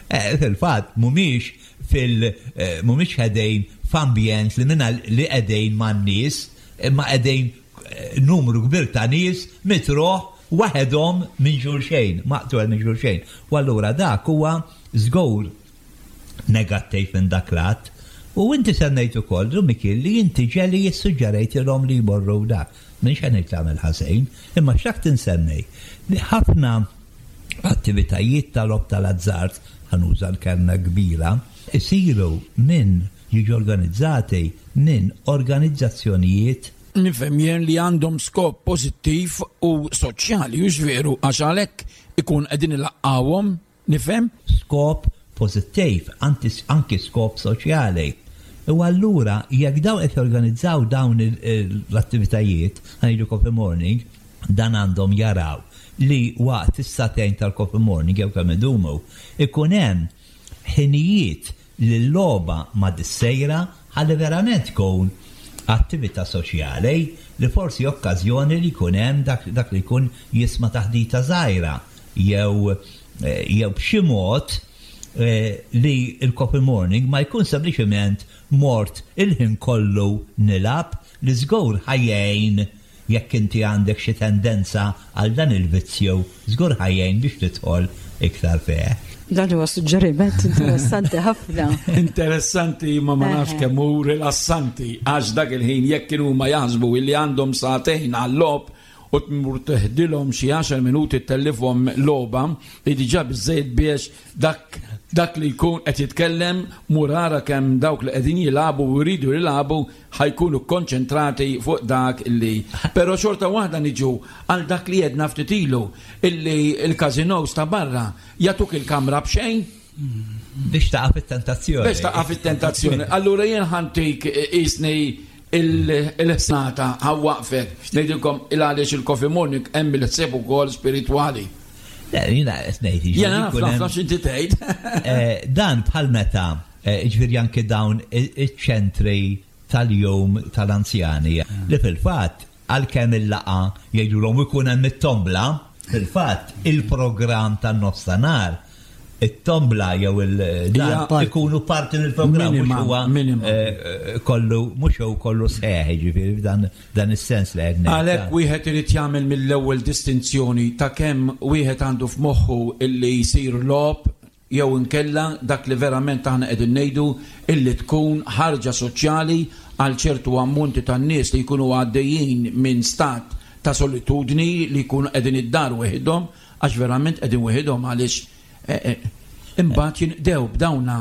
eh, fil-fatt mhumiex fil eh, mhumiex qegħdin f'ambjent li minna li qegħdin man-nies, imma qegħdin eh, numru kbir ta' nies mitruħ waħedhom minn xulxejn, maqtugħ minn xulxejn. U allura dak huwa żgur negattiv minn dak lat. U inti semmejt ukoll, Mikil, li inti ġieli jissuġġerejtilhom li jmorru dak. Minn xejn tagħmel ħażin, imma xtaqt insemmi li ħafna attivitajiet tal-logħob tal-azzard, ħa nuża l-kelma kbira, isiru minn jiġu organizzati minn organizzazzjonijiet Nifhem jien li għandhom skop pożittiv u soċjali, hux veru, għax għalhekk ikun qegħdin ilaqqawhom, nifhem? Skop pożittiv, anki skop soċjali. U allura jekk dawn qed jorganizzaw dawn l-attivitajiet, ngħidu coffee morning, dan għandhom jaraw li waqt is-sagħtejn tal-coffee morning jew kemm idumu, ikun hemm ħinijiet li l-logħba ma dissejra ħalli verament tkun attività soċjali li forsi okkażjoni li jkun hemm dak, dak li jkun jisma' taħdita żgħira jew eh, jew b'xi mod eh, li il-coffee morning ma jkun sempliċement mort il-ħin kollu nilgħab li żgur ħa jgħin jekk inti għandek xi tendenza għal dan il-vizzju, żgur ħa jgħin biex tidħol iktar fih. Dan huwa suġġeriment interessanti ħafna. Interessanti ma ma nafx kemm hu rilassanti għax dak il-ħin jekk kienu ma jaħsbu illi għandhom sagħtejn għal-logħob u tmur teħdilhom xi għaxar minuti tellifhom logħba li diġà biżejjed biex dak dak li jkun qed jitkellem mur ara kemm dawk li qegħdin jilagħbu u jridu jilagħbu ħa jkunu konċentrati fuq dak illi. Però xorta waħda niġu għal dak li jedna ftit ilu illi il-casinos ta' barra jagħtuk il-kamra b'xejn Biex taqa' fit-tentazzjoni. Biex taqa' fit-tentazzjoni. Allura jien ħa ntik isni il-ħsnata ħa nwaqqfek. Ngħidilkom il-għaliex il-Coffee Morning hemm il-ħsieb ukoll spiritwali. Le, jiena qed ngħid, jiġifieri Jena naf jkun hemm- naf x'inti tgħid. Eh, Dan bħal meta, eh, ġifieri anke dawn iċ-ċentri tal-jum tal-anzjani li fil-fatt għalkemm il-laqgħa jgħidulhom ikun hemm it-tombla, fil-fatt il-programm tan-nofstanhar it-tombla jew il-dan Hija ikunu parti mill-programm mhux Minima, huwa minima. eh, kollu mhux hu kollu sħiħ, ġifieri f'dan dan is-sens li qed ngħid. Għalhekk wieħed irid jagħmel mill-ewwel distinzjoni ta' kemm wieħed għandu f'moħħu illi jsir logħob jew inkella dak li verament aħna qegħdin ngħidu illi tkun ħarġa soċjali għal ċertu ammonti tan-nies li jkunu għaddejjin minn stat ta' solitudni li jkunu qegħdin id-dar weħidhom għax verament qegħdin weħidhom għaliex eh, eh, imbagħad jinqdew b'dawna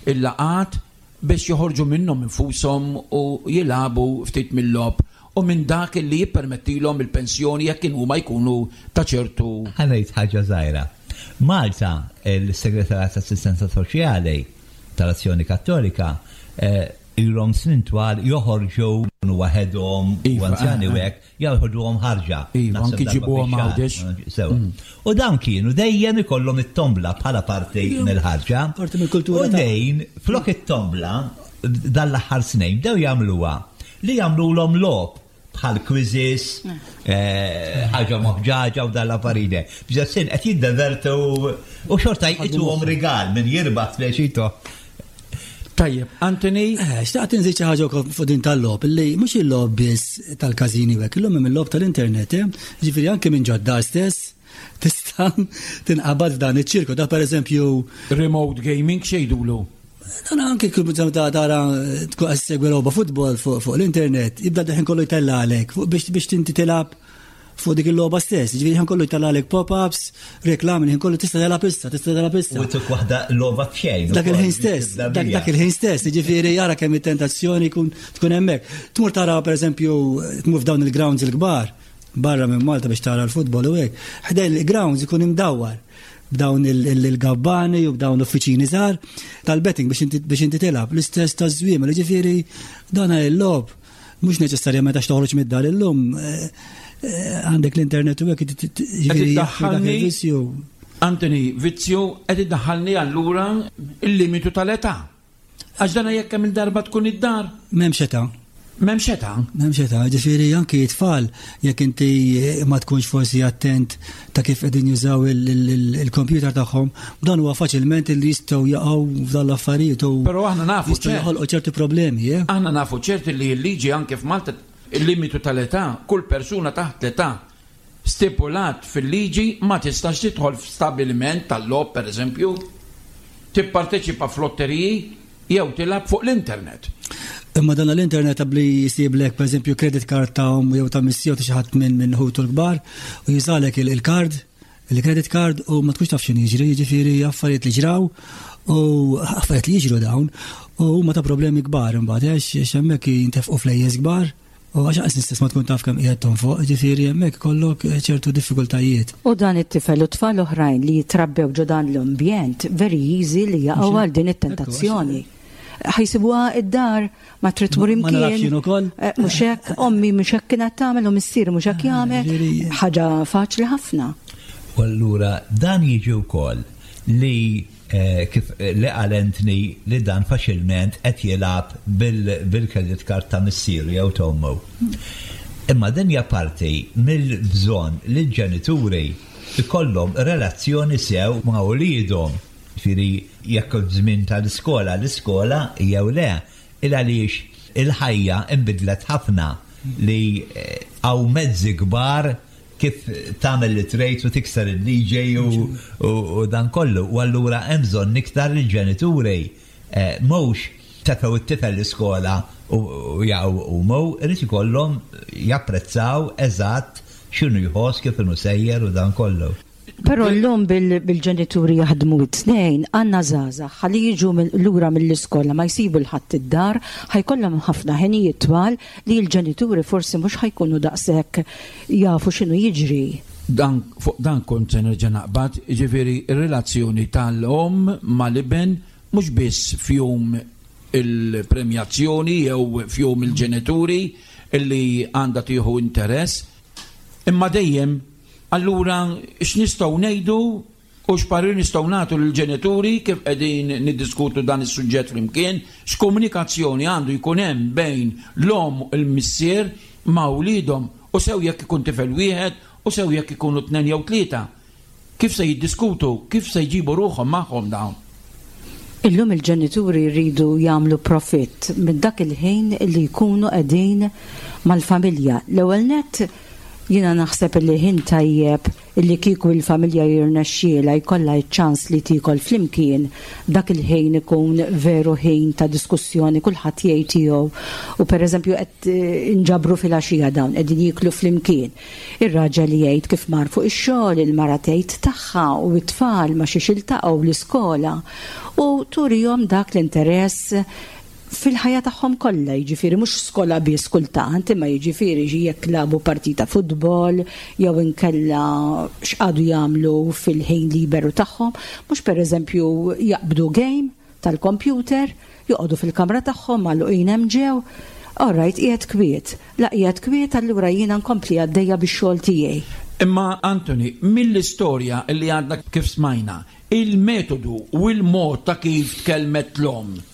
il-laqat biex joħorġu minnhom infushom u jilagħbu ftit mill-logħob u minn dak li jippermettilhom il-pensjoni jekk huma jkunu ta' ċertu Ħa ngħid ħaġa żgħira. Malta, il-Segretarjat Assistenza Soċjali tal-Azzjoni Kattolika, eh, ilhom snin twal joħorġu waħedhom u Iva, anzjani eh, u hekk, joħorġuhom ħarġa. Iva, Naħseb anki darba ġibuhom fix-xahar. Għawdex. Sewa. U dawn kienu dejjem ikollhom it-tombla bħala parti mill-ħarġa. Parti mill-kultura U ta' dejn flok it-tombla dal-aħħar snin bdew jagħmluha li jagħmluhom logħob bħal quizzes, eh, ħaġa moħġaġa u dal-affarijiet. Biex sin qed jiddevertu u xorta jtuhom rigal minn jirbaħ speċito. Tajjeb, Anthony, Eh, xtaqt nżid xi ħaġa wkoll fuq din tal-logħob illi mhux il-logħob biss tal-każini u hekk, illum hemm il-logħob tal-internet, eh? Ġifieri anke minn ġod-dar stess tista' tinqabad f'dan iċ-ċirku. Da pereżempju remote gaming x'jgħidulu? Dan anke kull ta' tara tkun qed segwi logħba futbol fuq fuq l-internet, jibda ħin kollu jtella għalek fuq biex biex tinti tilgħab fuq dik il-logħba stess. Ġifieri ħin kollu jtella għalek pop-ups, reklami, ħin kollu tista' tilgħab issa, tista' tilgħab issa. U tuk waħda logħba b'xejn. Dak il-ħin stess, dak dak il-ħin stess, ġifieri jara kemm it-tentazzjoni kun tkun hemmhekk. Tmur tara pereżempju tmur f'dawn il-grounds il-kbar barra minn Malta biex tara l-futbol u hekk. Ħdejn il-grounds ikun imdawwar b'dawn il- il- il-gabbani u b'dawn l-uffiċini żgħar tal-betting biex inti biex inti tilgħab l-istess taż-żwiemel, ġifieri dan il-logħob mhux neċessarjament għax toħroġ mid-dar illum eh, eh, għandek l-internet u hekk ġifieri dak iddaħħalni- il-vizzju. Anthony, vizzju qed iddaħħalni allura il-limitu tal-età. Għax dana jekk hemm il-darba tkun id-dar, M'hemmx età. m'hemmx età. M'hemmx età, ġifieri anki t-tfal jekk inti ma tkunx forsi attent ta' kif qegħdin jużaw il- il- il- il-computer tagħhom, dan huwa faċilment li jistgħu jaqgħu f'dan l-affarijiet u Però aħna nafu jistgħu ċert. joħolqu ċerti problemi, eh? Aħna nafu ċerti li l-liġi anke f'Malta il-limitu tal-età, kull persuna taħt l-età stipulat fil-liġi ma tistax tidħol f'stabiliment tal-logħob per eżempju, tipparteċipa f'lotteriji jew tilgħab fuq l-internet. Imma dan l-internet qabli jisiblek per eżempju credit card ta' omm jew ta' missier ta' xi ħadd minn minn ħutu l-kbar u jużalek il- il-card, il-credit card u ma tkunx taf x'inhu jiġri, jiġifieri affarijiet li ġraw u affarijiet li jiġru dawn u huma ta' problemi kbar imbagħad għax għax hemmhekk jintefqu flejjes kbar u għax qas stess ma tkun taf kemm qiegħed tonfoq, ġifieri hemmhekk ikollok ċertu diffikultajiet. U dan it-tifel u tfal oħrajn li jitrabbew ġo dan l-ambjent, very easy li jaqgħu għal din it-tentazzjoni. Ħa jsibuha id-dar, ma trid tmur Ma nafx imkien. jien ukoll. Eh, Mhux hekk, ommi mhux hekk kienet tagħmel u missieri mhux hekk jagħmel. ġifieri- Ħaġa faċli ħafna. U allura dan jiġi wkoll li eh, kif eh, li qal Anthony li dan faċilment qed jilgħab bil- bil-credit card ta' missieru jew ta' ommu. Imma din hija parti mill-bżonn li l-ġenituri ikollhom relazzjoni sew ma' wliedhom. Ġifieri jekk żmien tal-iskola, l-iskola jew le, il għaliex il-ħajja imbidlet ħafna li eh, hawn mezzi kbar kif tagħmel li trid u tikser il-liġi u dan kollu. U allura hemm bżonn iktar il-ġenituri eh, mhux tefgħu it-tifel l-iskola u jaqgħu u mu, irid ikollhom japprezzaw eżatt x'inhu jħoss, kif inhu sejjer u dan kollu. Però llum bil-ġenituri jaħdmu it-tnejn, għandna żgħażagħ ħalli jiġu lura mill-iskola ma jsibu 'l ħadd id-dar, ħa jkollhom ħafna ħinijiet twal li l-ġenituri forsi mhux ħa jkunu daqshekk jafu x'inhu jiġri. Dan fuq dan kont se nerġa' naqbad, jiġifieri ir-relazzjoni tal-omm mal-iben mhux biss f'jum il-premjazzjoni jew f'jum il-ġenituri illi għandha tieħu interess, imma dejjem. Allura x'nistgħu ngħidu u x'parir nistgħu nagħtu lill-ġenituri kif qegħdin niddiskutu dan is-suġġett flimkien, x'komunikazzjoni għandu jkun hemm bejn l-omm u l-missier ma' wliedhom, u sew jekk ikun tifel wieħed u sew jekk ikunu tnejn jew tlieta. Kif se jiddiskutu, kif se jġibu ruħhom magħhom dawn? Illum il-ġenituri jridu jagħmlu profitt minn dak il-ħin li jkunu qegħdin mal-familja. L-ewwel nett, jiena naħseb li ħin tajjeb illi kieku il-familja jirnexxiela jkollha ċ-ċans li tiekol flimkien, dak il-ħin ikun veru ħin ta' diskussjoni, kulħadd jgħid tiegħu. U pereżempju qed inġabru fil-għaxija, dawn qegħdin jieklu flimkien. Ir-raġel jgħid kif mar fuq ix-xogħol, il-mara tgħid tagħha u t-tfal ma xiex iltaqgħu l-iskola u turihom dak l-interess fil-ħajja tagħhom kollha, jiġifieri mhux skola biss kultant, imma jiġifieri jekk lagħbu partita futbol jew inkella x'qagħdu jagħmlu fil-ħin liberu tagħhom, mhux pereżempju jaqbdu game tal-computer, joqogħdu fil-kamra tagħhom magħluqin hemm ġew. All right, qiegħed kwiet. La qiegħed kwiet, allura jiena nkompli għaddejja bix-xogħol tiegħi. Imma Anthony, mill-istorja li għadna kif smajna, il-metodu u il-mod ta' kif tkellmet l-omm,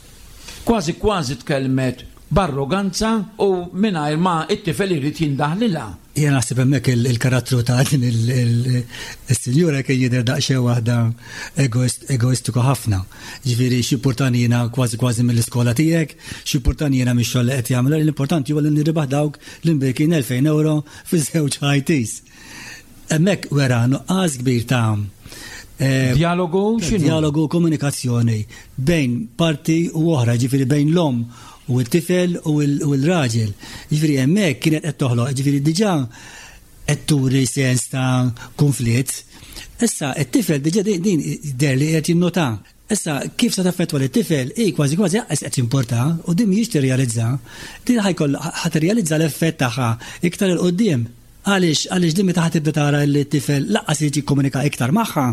kważi kważi tkellmet b'arroganza u mingħajr ma it-tifel irid jindaħlilha. Jien naħseb hemmhekk il-karattru ta' din il-sinjura kien jidher daqsxejn waħda egoistiku ħafna. Ġifieri x'importani jiena kważi kważi mill-iskola tiegħek, x'importani jiena mix-xogħol li qed jagħmel, l-importanti huwa li nirbaħ dawk l-imbierkin elfejn euro fi żewġ I Ts. Hemmhekk wera nuqqas kbir ta' Dialogu x'inhu? Dialogu, komunikazzjoni bejn parti u oħra, ġifieri bejn l-omm u t-tifel u l-raġel. Ġifieri hemmhekk kienet qed toħloq, ġifieri diġà qed turi sens ta' konflitt. Issa it-tifel diġà din der li qed jinnota. Issa kif se taffettwa lit-tifel, i kważi kważi lanqas qed jimporta u din mhijiex tirrealizza. Din ħa jkoll ħa tirrealizza l-effett tagħha iktar 'il quddiem. Għaliex għaliex din meta ħa tibda tara li t-tifel lanqas jiġi jikkomunika iktar magħha,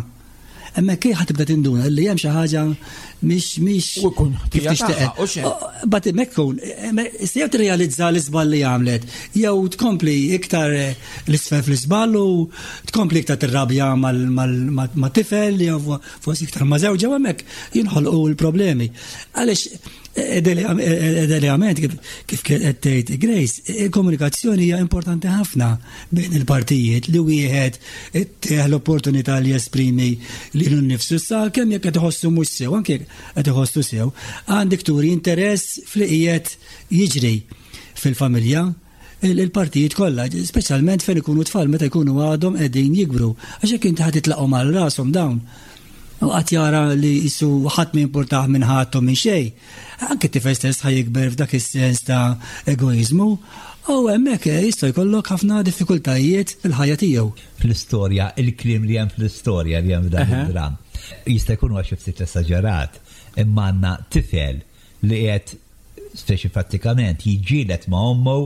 hemmhekk ħa tibda tinduna li hemm xi ħaġa mhix mhix U jkun kif ħtija tixtieq. tagħha, u xejn. But hemmhekk kun, jew tirrealizza l-iżball li għamlet, jew tkompli iktar l-isfel fl-iżball u tkompli iktar tirrabja mal-tifel, jew forsi iktar ma' żewġha, u hemmhekk jinħolqu l-problemi. Għaliex idealment, kif qed tgħid Grace, il-komunikazzjoni hija importanti ħafna bejn il-partijiet, li wieħed ittih l-opportunità li jesprimi lilu nnifsu sa kemm jekk qed iħossu mhux sew, anke jekk qed iħossu sew, għandek turi interess fli qiegħed jiġri fil-familja, il-partijiet kollha, speċjalment fejn ikunu tfal, meta jkunu għadhom qegħdin jikbru. Għax jekk inti ħa titlaqhom għal rashom dawn, u qatt jara li jisu ħadd ma jimpurtah minn ħadd u minn xejn. Anke t-tifel stess ħa jikber f'dak is-sens ta' egoizmu, u hemmhekk jista' jkollok ħafna diffikultajiet fil-ħajja tiegħu. Fl-istorja, il-kliem li hemm fl-istorja li hemm f'dan Aha. id-dram, jista' jkun huwa xi ftit esaġerat, imma għandna tifel li qed speċi prattikament jiġġieled ma' ommu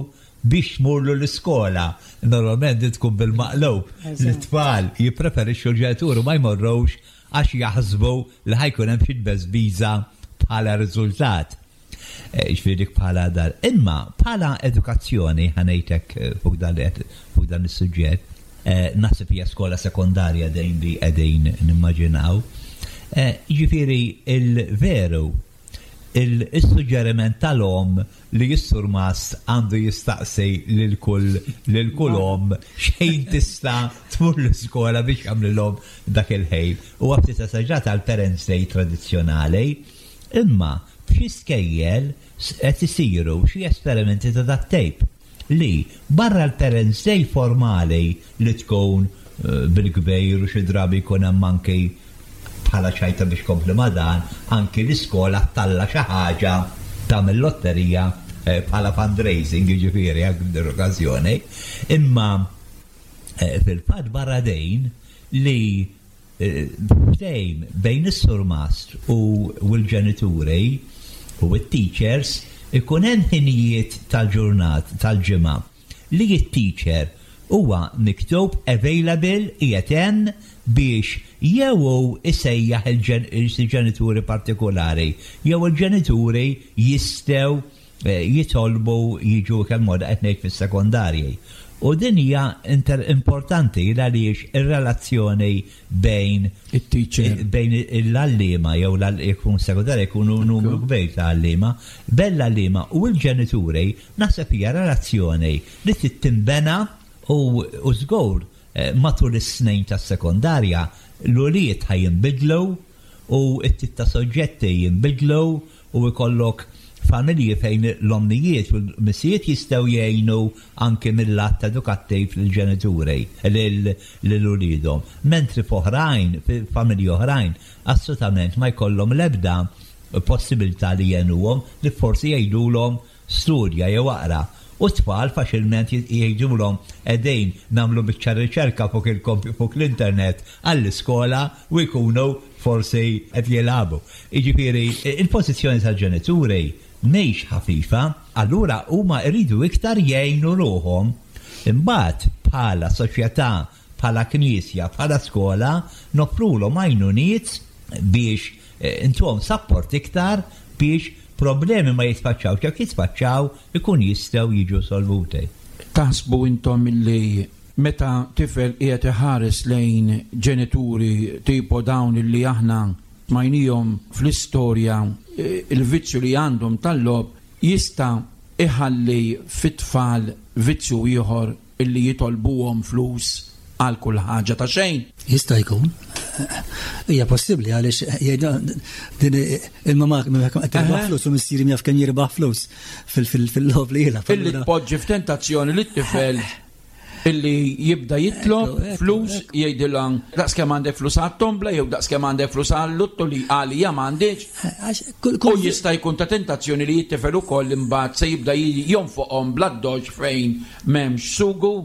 biex tmurlu l-iskola. Normalment din tkun bil-maqlub. L-tfal jippreferixxu l-ġenituri ma jmorrux għax jaħsbu li ħa jkun hemm xi tbeżbiża bħala riżultat. Eh, Ġifieri dik bħala dar. Imma bħala edukazzjoni, ħa ngħidlek eh, fuq dan li qed- fuq dan is-suġġett, eh, naħseb hija skola sekondarja dejn li qegħdin nimmaġinaw. Eh, Ġifieri il-veru il-suġġeriment tal-omm li s-surmast għandu jistaqsi lil kull lil kull omm xejn tista' tmur l-iskola biex jagħmlilhom dak il-ħin. U ftit esaġerat għal Parents Day tradizzjonali, imma f'xi skejjel qed isiru xi esperimenti ta' dat-tip. li barra l-Parents Day formali li tkun eh, bil-kbir u xi drabi jkun hemm anki bħala ċajta biex kompli ma' dan, anki l-iskola ttella' xi ħaġa tagħmel lotterija eh, bħala fundraising, jiġifieri għal din l-okkażjoni. Imma eh, fil-fatt barra dejn li eh, ftehim bejn is-surmast u u l-ġenituri u t-teachers ikun hemm ħinijiet tal-ġurnat tal-ġimgħa li t-teacher huwa miktub available, qiegħed hemm biex jew hu isejjaħ il-ġenituri partikolari jew il-ġenituri jistgħu eh, jitolbu jiġu, kemm moda qed ngħid fis-sekondarji. U din hija inter importanti għaliex ir-relazzjoni bejn it-teacher, bejn l-għalliema jew jkun sekondarja jkunu numru kbir ta' għalliema, bejn l-għalliema u l-ġenituri naħseb hija relazzjoni li trid tinbena u u żgur eh, matul is-snin tas-sekondarja l-ulied ħa jinbidlu u t-tip ta' soġġetti jinbidlu u jkollok familji fejn l-ommijiet u l-missijiet jistgħu jgħinu anke mill-lat edukattiv lill-ġenituri lil uliedhom. Mentri f'oħrajn, familji oħrajn, assolutament ma jkollhom l-ebda possibilità li jgħinuhom li forsi jgħidulhom studja jew aqra. U tfal faċilment jgħidulhom qegħdin nagħmlu biċċa riċerka fuq fuq l-internet għall-iskola u jkunu forsi qed jilagħbu. Jiġifieri il-pożizzjoni tal-ġenituri mhix ħafifa, allura huma jridu iktar jgħinu ruħhom. Imbagħad bħala soċjetà, bħala knisja, bħala skola, noffrulhom għajnuniet biex eh, intuhom support iktar biex problemi ma jitfaċċaw, jekk jitfaċċaw ikun jistgħu jiġu solvuti. Taħsbu intom illi meta tifel qiegħed iħares lejn ġenituri tipo dawn illi aħna smajnihom fl-istorja, eh, il-vizzju li għandhom tal-logħob jista' iħalli fit-tfal vizzju ieħor illi jitolbuhom flus għal kull ħaġa ta' xejn? Jista' jkun. Hija possibbli għaliex jgħidu din il-mama qed tirbaħ flus u missieri jaf kemm jirbaħ flus fil-logħob li jilgħab. Illi tpoġġi f'tentazzjoni li t-tifel illi jibda jitlob flus, jgħidilha daqs kemm għandek flus għat-tombla jew daqs kemm għandek flus għal-luttu li għalija m'għandix. U jista' jkun ta' tentazzjoni li jittifel ukoll imbagħad se jibda jonfoqhom bl-addoċċ fejn m'hemmx sugu.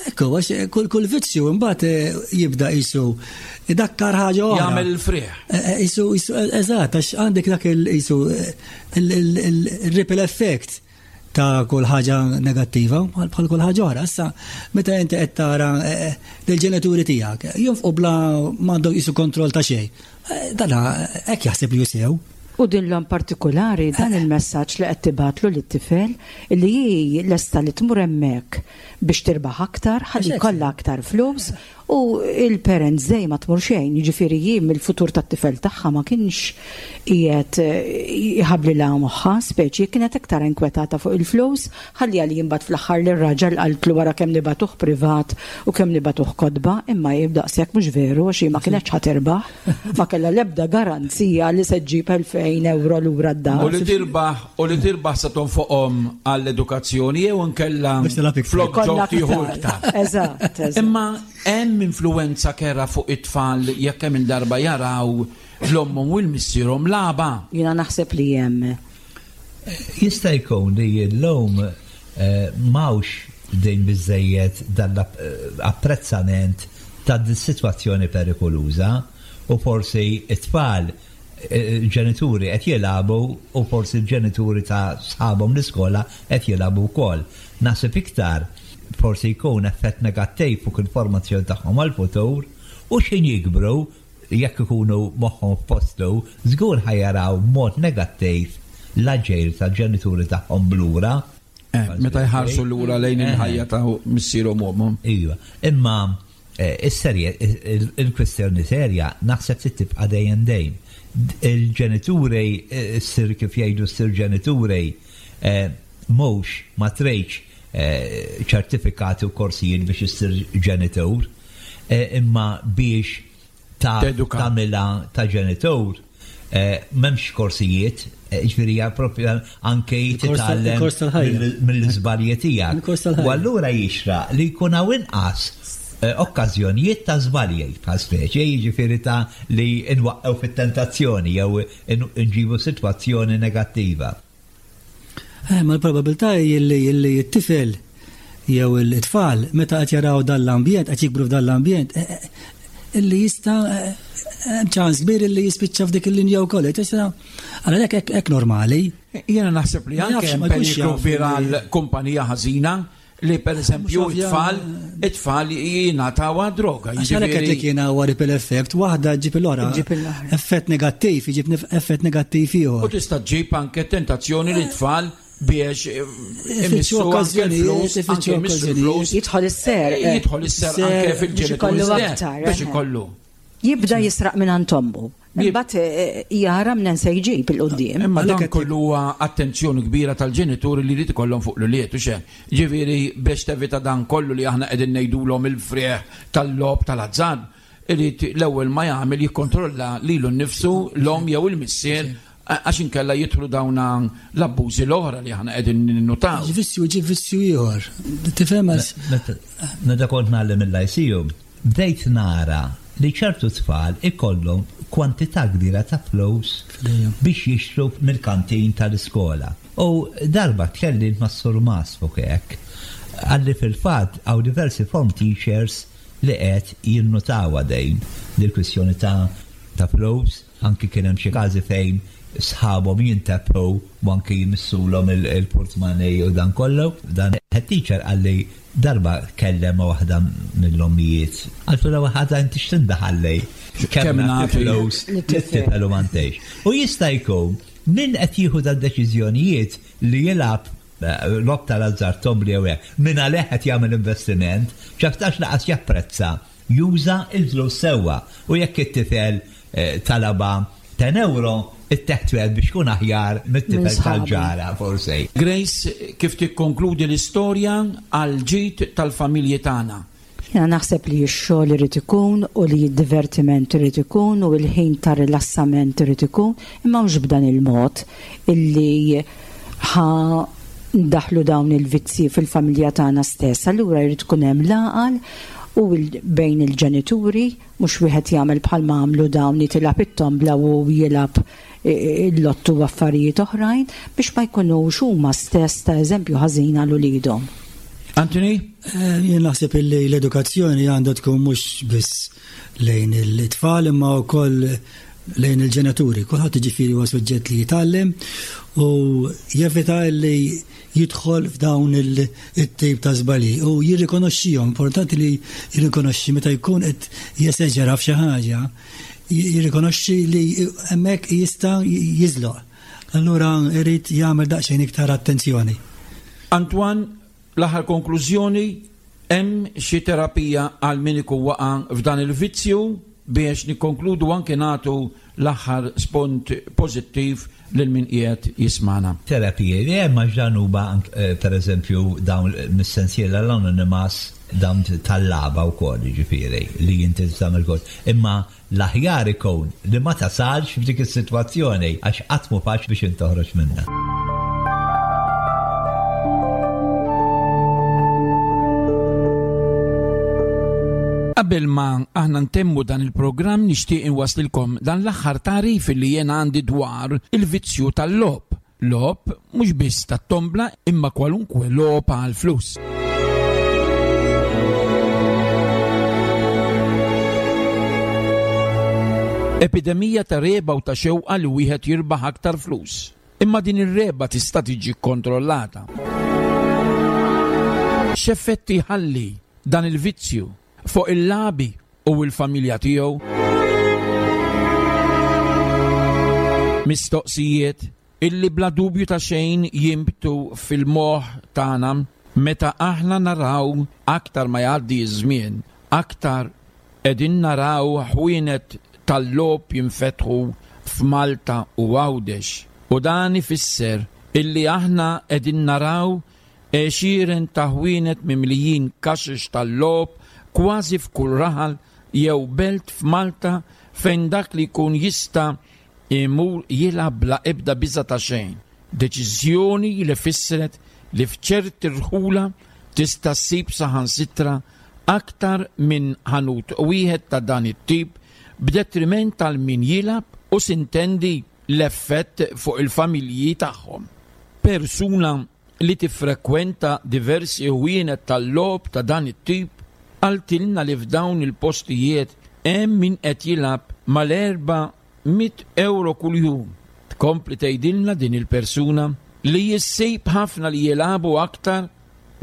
Ekku, għax kull kull vizzju imbagħad eh, jibda qisu idakkar ħaġa oħra. Jagħmel il-frieħ. Eh, eh, Qisu, qisu, eżatt, għax għandek dak il-qisu il-ripple effect ta' kull ħaġa negattiva bħal bħal kull ħaġa oħra. Issa, meta inti qed tara lill-ġenituri tiegħek jonfqu bla m'għandhom qisu kontroll ta' xejn. Dana hekk jaħseb li hu sew. U din l partikolari dan il-messaġġ li qed tibgħatlu lit-tifel li hi lesta li tmur hemmhekk biex tirbaħ aktar, ħalli jkollha aktar flus u il-parents day ma tmur xejn, jiġifieri jien mill-futur tat-tifel tagħha ma kienx qiegħed jħabblilha moħħha, speċi kienet iktar inkwetata fuq il-flus, ħalli għalli imbagħad fl-aħħar lir-raġel qaltlu wara kemm nibagħtuh privat u kemm nibagħtuh kotba, imma jibda daqshekk mhux veru għax hi ma kienx ħa tirbaħ, ma kellha l-ebda garanzija li se ġġib elfejn euro lura d-dar. U li tirbaħ u li tirbaħ sa tonfoqhom għall-edukazzjoni jew inkella flok ġo tieħu iktar. Eżatt, eżatt. Imma hemm influenza kerha fuq it-tfal jekk hemm il-darba jaraw l-ommhom u l-missierhom lagħba. Jiena naħseb li hemm. Jista' jkun li l-lum eh, m'hawnx din biżejjed dan l-apprezzament ta' dis-sitwazzjoni perikoluża u forsi it-tfal eh, ġenituri qed jilagħbu u forsi l-ġenituri ta' sħabhom l-iskola qed jilagħbu wkoll. Naħseb iktar forsi jkun effett negattiv fuq il-formazzjoni tagħhom għal-futur u x'ħin jikbru, jekk ikunu moħħhom f'postu, żgur ħa jaraw mod negattiv l-aġir tal-ġenituri tagħhom blura. Eh, meta jħarsu lura lejn il-ħajja ta' missierhom u ommhom. Iva, imma eh, is-serje, il-kwestjoni serja naħseb li tibqa' dejjem dejjem. Il-ġenituri, eh, ssir kif jgħidu ssir ġenituri, mhux ma tridx ċertifikati u korsijiet biex issir ġenitur, imma biex ta' Teduka. tagħmilha ta' ġenitur, m'hemmx korsijiet, Ġifieri hija propju anke titgħallem mill-iżbalji tiegħek. U allura jixraq li jkun hawn inqas okkażjonijiet ta' żbalji bħal speċi, jiġifieri ta' li nwaqqgħu fit-tentazzjoni jew nġibu sitwazzjoni negattiva. Ma l-probabilità hi li t-tifel jew it-tfal meta qed jaraw dan l-ambjent, qed jikbru f'dan l-ambjent, illi jista' ċans kbir illi jispiċċa f'dik il-linja wkoll. Għalhekk hekk hekk normali. Jiena naħseb li anke hemm periklu kbir għal kumpanija ħażina li pereżempju it-tfal it-tfal jingħataw droga. Għax għalhekk qed li kien huwa ripple effect, waħda ġġib l-oħra. Effett negattiv, iġib effett negattiv ieħor. U tista' ġġib anke tentazzjoni li t-tfal biex imissu okkażjonijiet, ifittxu okkażjonijiet. Jidħol is-ser. Jidħol is-ser anke fil-ġenituri biex ikollu. Jibda jisraq minn għand ommu. Imbagħad jara minn se jġib il-qudiem. Imma dan kollu huwa attenzjoni kbira tal-ġenituri li jrid ikollhom fuq l-ulied u xejn. Ġifieri biex tevita dan kollu li aħna qegħdin ngħidulhom il-frieħ tal-logħob tal-azzard, irid l-ewwel ma jagħmel jikkontrolla lilu nnifsu l-omm jew il-missier għax inkella jidħlu dawn l-abbużi l-oħra li aħna qegħdin ninnutaw. Vizzju ġi vizzju ieħor. Tifhem Meta kont ngħallem il-Lyceum, bdejt nara li ċertu tfal ikollhom kwantità kbira ta' flus biex jixtru mill-kantin tal-iskola. U darba tkellimt ma' Sur Mas fuq hekk, għalli fil-fatt hawn diversi form teachers li qed jinnutaw dejn dil-kwistjoni ta' ta' flus, anki kien hemm xi każi fejn sħabhom jintebħu u anki jmissulhom il-portmoney u dan kollu. Dan head teacher qalli darba kellem ma' waħda mill-ommijiet. Qaltu l waħda inti x'tindaħallej kemm nagħti flus lit-tifel u m'għandix. U jista' jkun min qed jieħu dad-deċiżjonijiet li jilgħab logħob tal-azzard tombli jew hekk, min għalih qed jagħmel investiment, x'aktarx laqas japprezza juża l-flus sewwa. U jekk it-tifel talaba ten euro, it-teħtwel biex kun aħjar mit-tifel tal-ġara, forsi. Grace, kif tikkonkludi l-istorja għal ġid tal-familji tagħna? Jiena naħseb li x-xogħol irid ikun u li d-divertiment irid ikun u l-ħin ta' rilassament irid ikun, imma mhux b'dan il-mod illi ħa ndaħlu dawn il-vizzi fil-familja tagħna stess. Allura jrid ikun hemm l-għaqal u bejn il-ġenituri, mhux wieħed jagħmel bħalma għamlu dawn jitilgħab it-tombla u jilgħab il-lottu u affarijiet oħrajn biex ma jkunux huma stess ta' eżempju ħażin għal uliedhom. Anthony? Jien naħseb illi l-edukazzjoni għandha tkun mhux biss lejn it-tfal imma wkoll lejn il-ġenituri. Kulħadd jiġifieri huwa suġġett li jitgħallem u jevita li jidħol f'dawn it-tip ta' żbalji u jirrikonoxxihom. Importanti li jirrikonoxxi meta jkun qed jeseġera f'xi ħaġa, jirrikonoxxi li hemmhekk jista' jiżloq. Allura irid jagħmel daqsxejn iktar attenzjoni. Antoine, l-aħħar konklużjoni, hemm xi terapija għal min ikun waqa' f'dan il-vizzju biex nikkonkludu anke nagħtu l-aħħar spont pożittiv lil min qiegħed jismana. Terapiji li hemm għax dan huwa pereżempju dawn mis-sensiela l-Anonymous dawn tal-laba wkoll jiġifieri li inti tagħmel kol. Imma l-aħjar ikun li ma tasalx f'dik is-sitwazzjoni għax qatt mhu faċli biex intoħroġ minnha. Qabel ma aħna ntemmu dan il-programm nixtieq inwaslilkom dan l-aħħar tagħrif li jien għandi dwar il-vizzju tal-logħob. Logħob mhux biss tat-tombla imma kwalunkwe logħob għal flus. Epidemija ta' reba u ta' xewqa li wieħed jirbaħ aktar flus. Imma din ir-reba tista' tiġi kkontrollata. X'effetti ħalli dan il-vizzju fuq il-labi u l-familja tiegħu? Mistoqsijiet illi bla dubju ta' xejn jimbtu fil-moħħ tagħna meta aħna naraw aktar ma jgħaddi ż-żmien, aktar qegħdin naraw ħwienet tal-logħob jinfetħu f'Malta u Għawdex. U dan ifisser illi aħna qegħdin naraw għexieren ta' ħwienet mimlijin kaxex tal-logħob kważi f'kull raħal jew belt f'Malta fejn dak li jkun jista' imur jilgħab bla ebda biża' ta' xejn. Deċiżjoni li fissret li f'ċerti rħula tista' ssib saħansitra aktar minn ħanut wieħed ta' dan it-tip b'detriment tal min jilgħab u sintendi l-effett fuq il-familji tagħhom. Persuna li tiffrekwenta diversi ħwienet tal-logħob ta' dan it-tip qaltilna li f'dawn il-postijiet hemm min qed jilgħab mal-erba' mitt ewro kuljum. Tkompli tgħidilna din il-persuna li jissib ħafna li jilagħbu aktar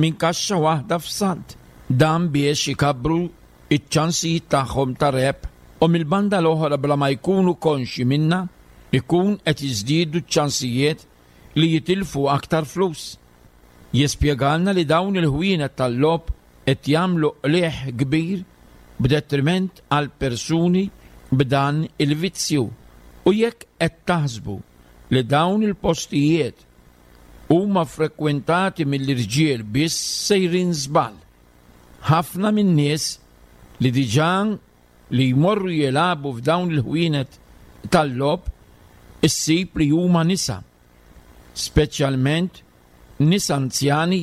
minn kaxxa waħda f'salt. Dan biex ikabbru iċ-ċansijiet tagħhom ta' rebħ u mill-banda l-oħra bla ma jkunu konxi minna ikun qed jiżdiedu ċ-ċansijiet li jitilfu aktar flus. Jispjegalna li dawn il-ħwienet tal-logħob qed jagħmlu qligħ kbir b'detriment għal persuni b'dan il-vizzju. U jekk qed taħsbu li dawn il-postijiet huma frekwentati mill-irġiel biss sejrin żball. Ħafna min-nies li diġà li jmorru jilagħbu f'dawn il-ħwienet tal-logħob issib li huma nisa, speċjalment nisa anzjani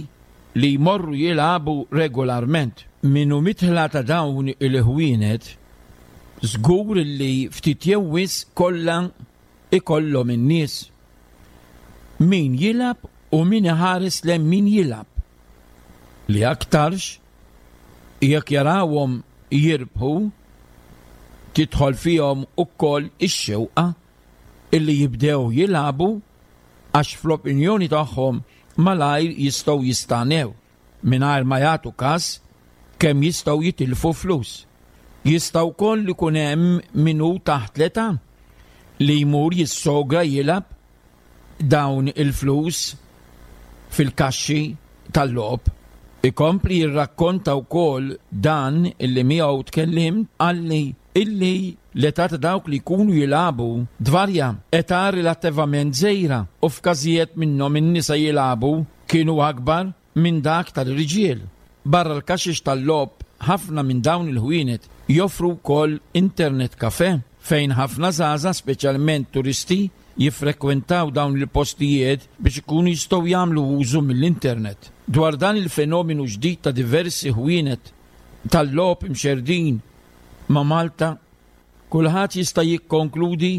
li jmorru jilagħbu regolarment. Minnu mitħla ta' dawn il-ħwienet żgur li ftit jew wisq kollha ikollhom in-nies. Min jilgħab u min iħares lejn min jilgħab. Li aktarx jekk jarawhom jirbħu tidħol fihom ukoll ix-xewqa illi jibdew jilagħbu għax fl-opinjoni tagħhom malajr jistgħu jistanew mingħajr ma jagħtu każ kemm jistgħu jitilfu flus. Jista' wkoll ikun hemm min hu taħt l-età li jmur jissogra jilgħab dawn il-flus fil-kaxxi tal-logħob. Ikompli jirrakkonta wkoll dan illi miegħu tkellimt qalli illi l-età ta' dawk li jkunu jilagħbu dvarja, età relattivament żgħira u f'każijiet minnhom in-nisa jilagħbu kienu akbar minn dak tal-irġiel. Barra l-kaxix tal-logħob ħafna minn dawn il-ħwienet joffru wkoll internet kafe fejn ħafna żgħażagħ, speċjalment turisti, jiffrekwentaw dawn il-postijiet biex ikunu jistgħu jagħmlu użu mill-internet. Dwar dan il-fenomenu ġdid ta' diversi ħwienet tal-logħob imxerdin ma' Malta, kulħadd jista' jikkonkludi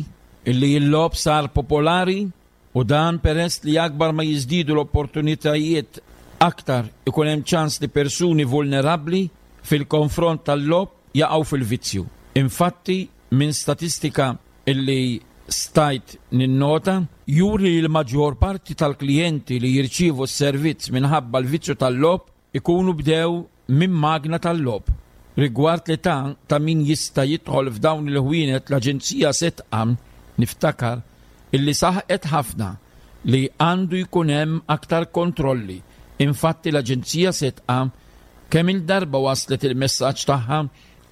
illi l-logħob sar popolari u dan peress li akbar ma jiżdiedu l-opportunitajiet aktar ikun hemm ċans li persuni vulnerabbli fil-konfront tal-logħob jaqgħu fil-vizzju. Infatti, minn statistika illi stajt ninnota, juri li l-maġġor parti tal-klijenti li jirċievu s-servizz minħabba l-vizzju tal-logħob ikunu bdew minn magna tal-logħob. Rigward l-età ta' min jista' jidħol f'dawn il-ħwienet, l-Aġenzija Sedqa niftakar illi saħqet ħafna li għandu jkun hemm aktar kontrolli. Infatti l-Aġenzija Sedqa kemm il-darba waslet il-messaġġ tagħha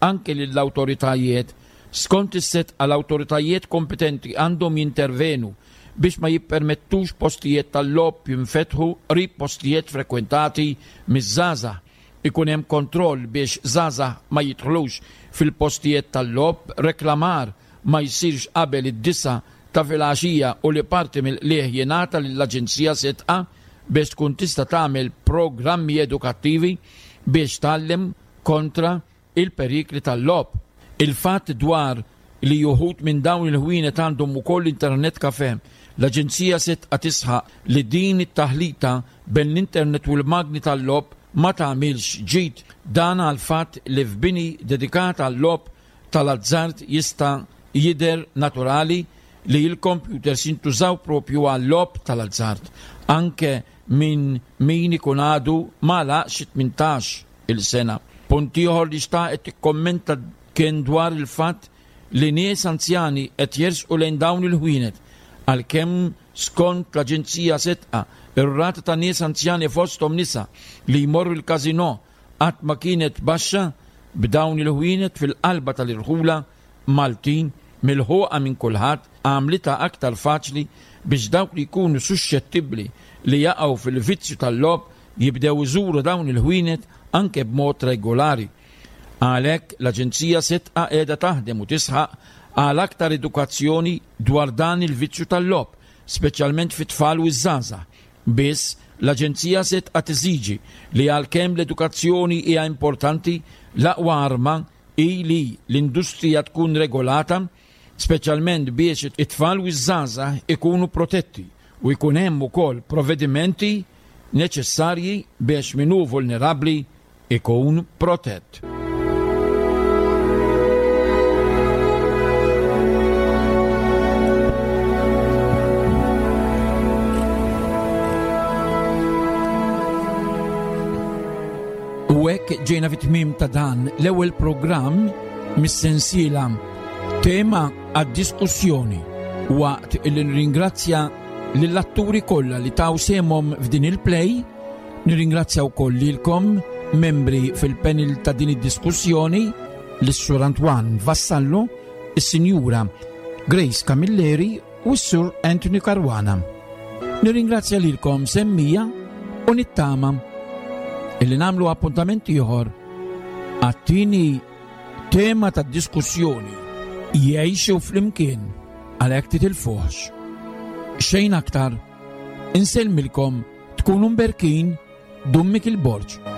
anke lill-awtoritajiet. Skont is-Sedqa l-awtoritajiet kompetenti għandhom jintervenu biex ma jippermettux postijiet tal-logħob jinfetħu qrib postijiet frekwentati miż-żgħażagħ. Ikun hemm kontroll biex żgħażagħ ma jidħlux fil-postijiet tal-logħob, reklamar ma jsirx qabel id-disa ta' filgħaxija u li parti mill-qligħ jingħata lill-Aġenzija Sedqa biex tkun tista' tagħmel programmi edukattivi biex tgħallem kontra il-perikli tal-logħob. Il-fatt dwar li juħut minn dawn il-ħwienet għandhom ukoll internet kafe, l-Aġenzija Sedqa tisħaq li din it-taħlita bejn l-internet u l-magni tal-logħob ma tagħmilx ġid. Dan għal fatt li f'bini dedikat għal-logħob tal-azzard jista' jidher naturali li l-computers jintużaw propju għal-logħob tal-azzard, anke minn min ikun għadu ma laqx tmintax il-sena. Punt ieħor li xtaqet tikkommenta kien dwar il-fatt li nies anzjani qed jersqu lejn dawn il-ħwienet, għalkemm skont l-Aġenzija Sedqa ir-rata ta' nies anzjani fosthom nisa li jmorru l-każinò qatt ma kienet baxxa, b'dawn il-ħwienet fil-qalba tal-irħula Maltin milħuqa minn kulħadd għamlitha aktar faċli biex dawk li jkunu suxxettibbli li jaqgħu fil-vizzju tal-logħob jibdew iżuru dawn il-ħwienet anke b'mod regolari. Għalhekk l-Aġenzija Sedqa qiegħda taħdem u tisħaq għal aktar edukazzjoni dwar dan il-vizzju tal-logħob, speċjalment fit-tfal u ż-żgħażagħ. Biss l-Aġenzija se tibqa' teżiġi li għalkemm l-edukazzjoni hija importanti, l-aqwa arma hi li l-industrija tkun regolata, speċjalment biex it-tfal u ż-żgħażagħ ikunu protetti u jkun hemm ukoll provvedimenti neċessarji biex min hu vulnerabbli ikun protett. U hekk ġejna fit-tmiem ta' dan l-ewwel programm mis-sensiela tema għad-diskussjoni, waqt illi nirringrazzja lill-atturi kollha li taw sehemhom f'din il-play, nirringrazzja wkoll lilkom membri fil-panel ta' din id-diskussjoni, lis-Sur Antoine Vassallo, is-Sinjura Grace Camilleri u s-Sur Anthony Caruana. Nirringrazzja lilkom semmiegħa u nittama illi nagħmlu appuntament ieħor għat-tieni tema ta' diskussjoni, jgħixu flimkien, għalhekk titilfuħx. Xejn aktar, insellmilkom, tkunu mberkin, Dummic il-Borġ.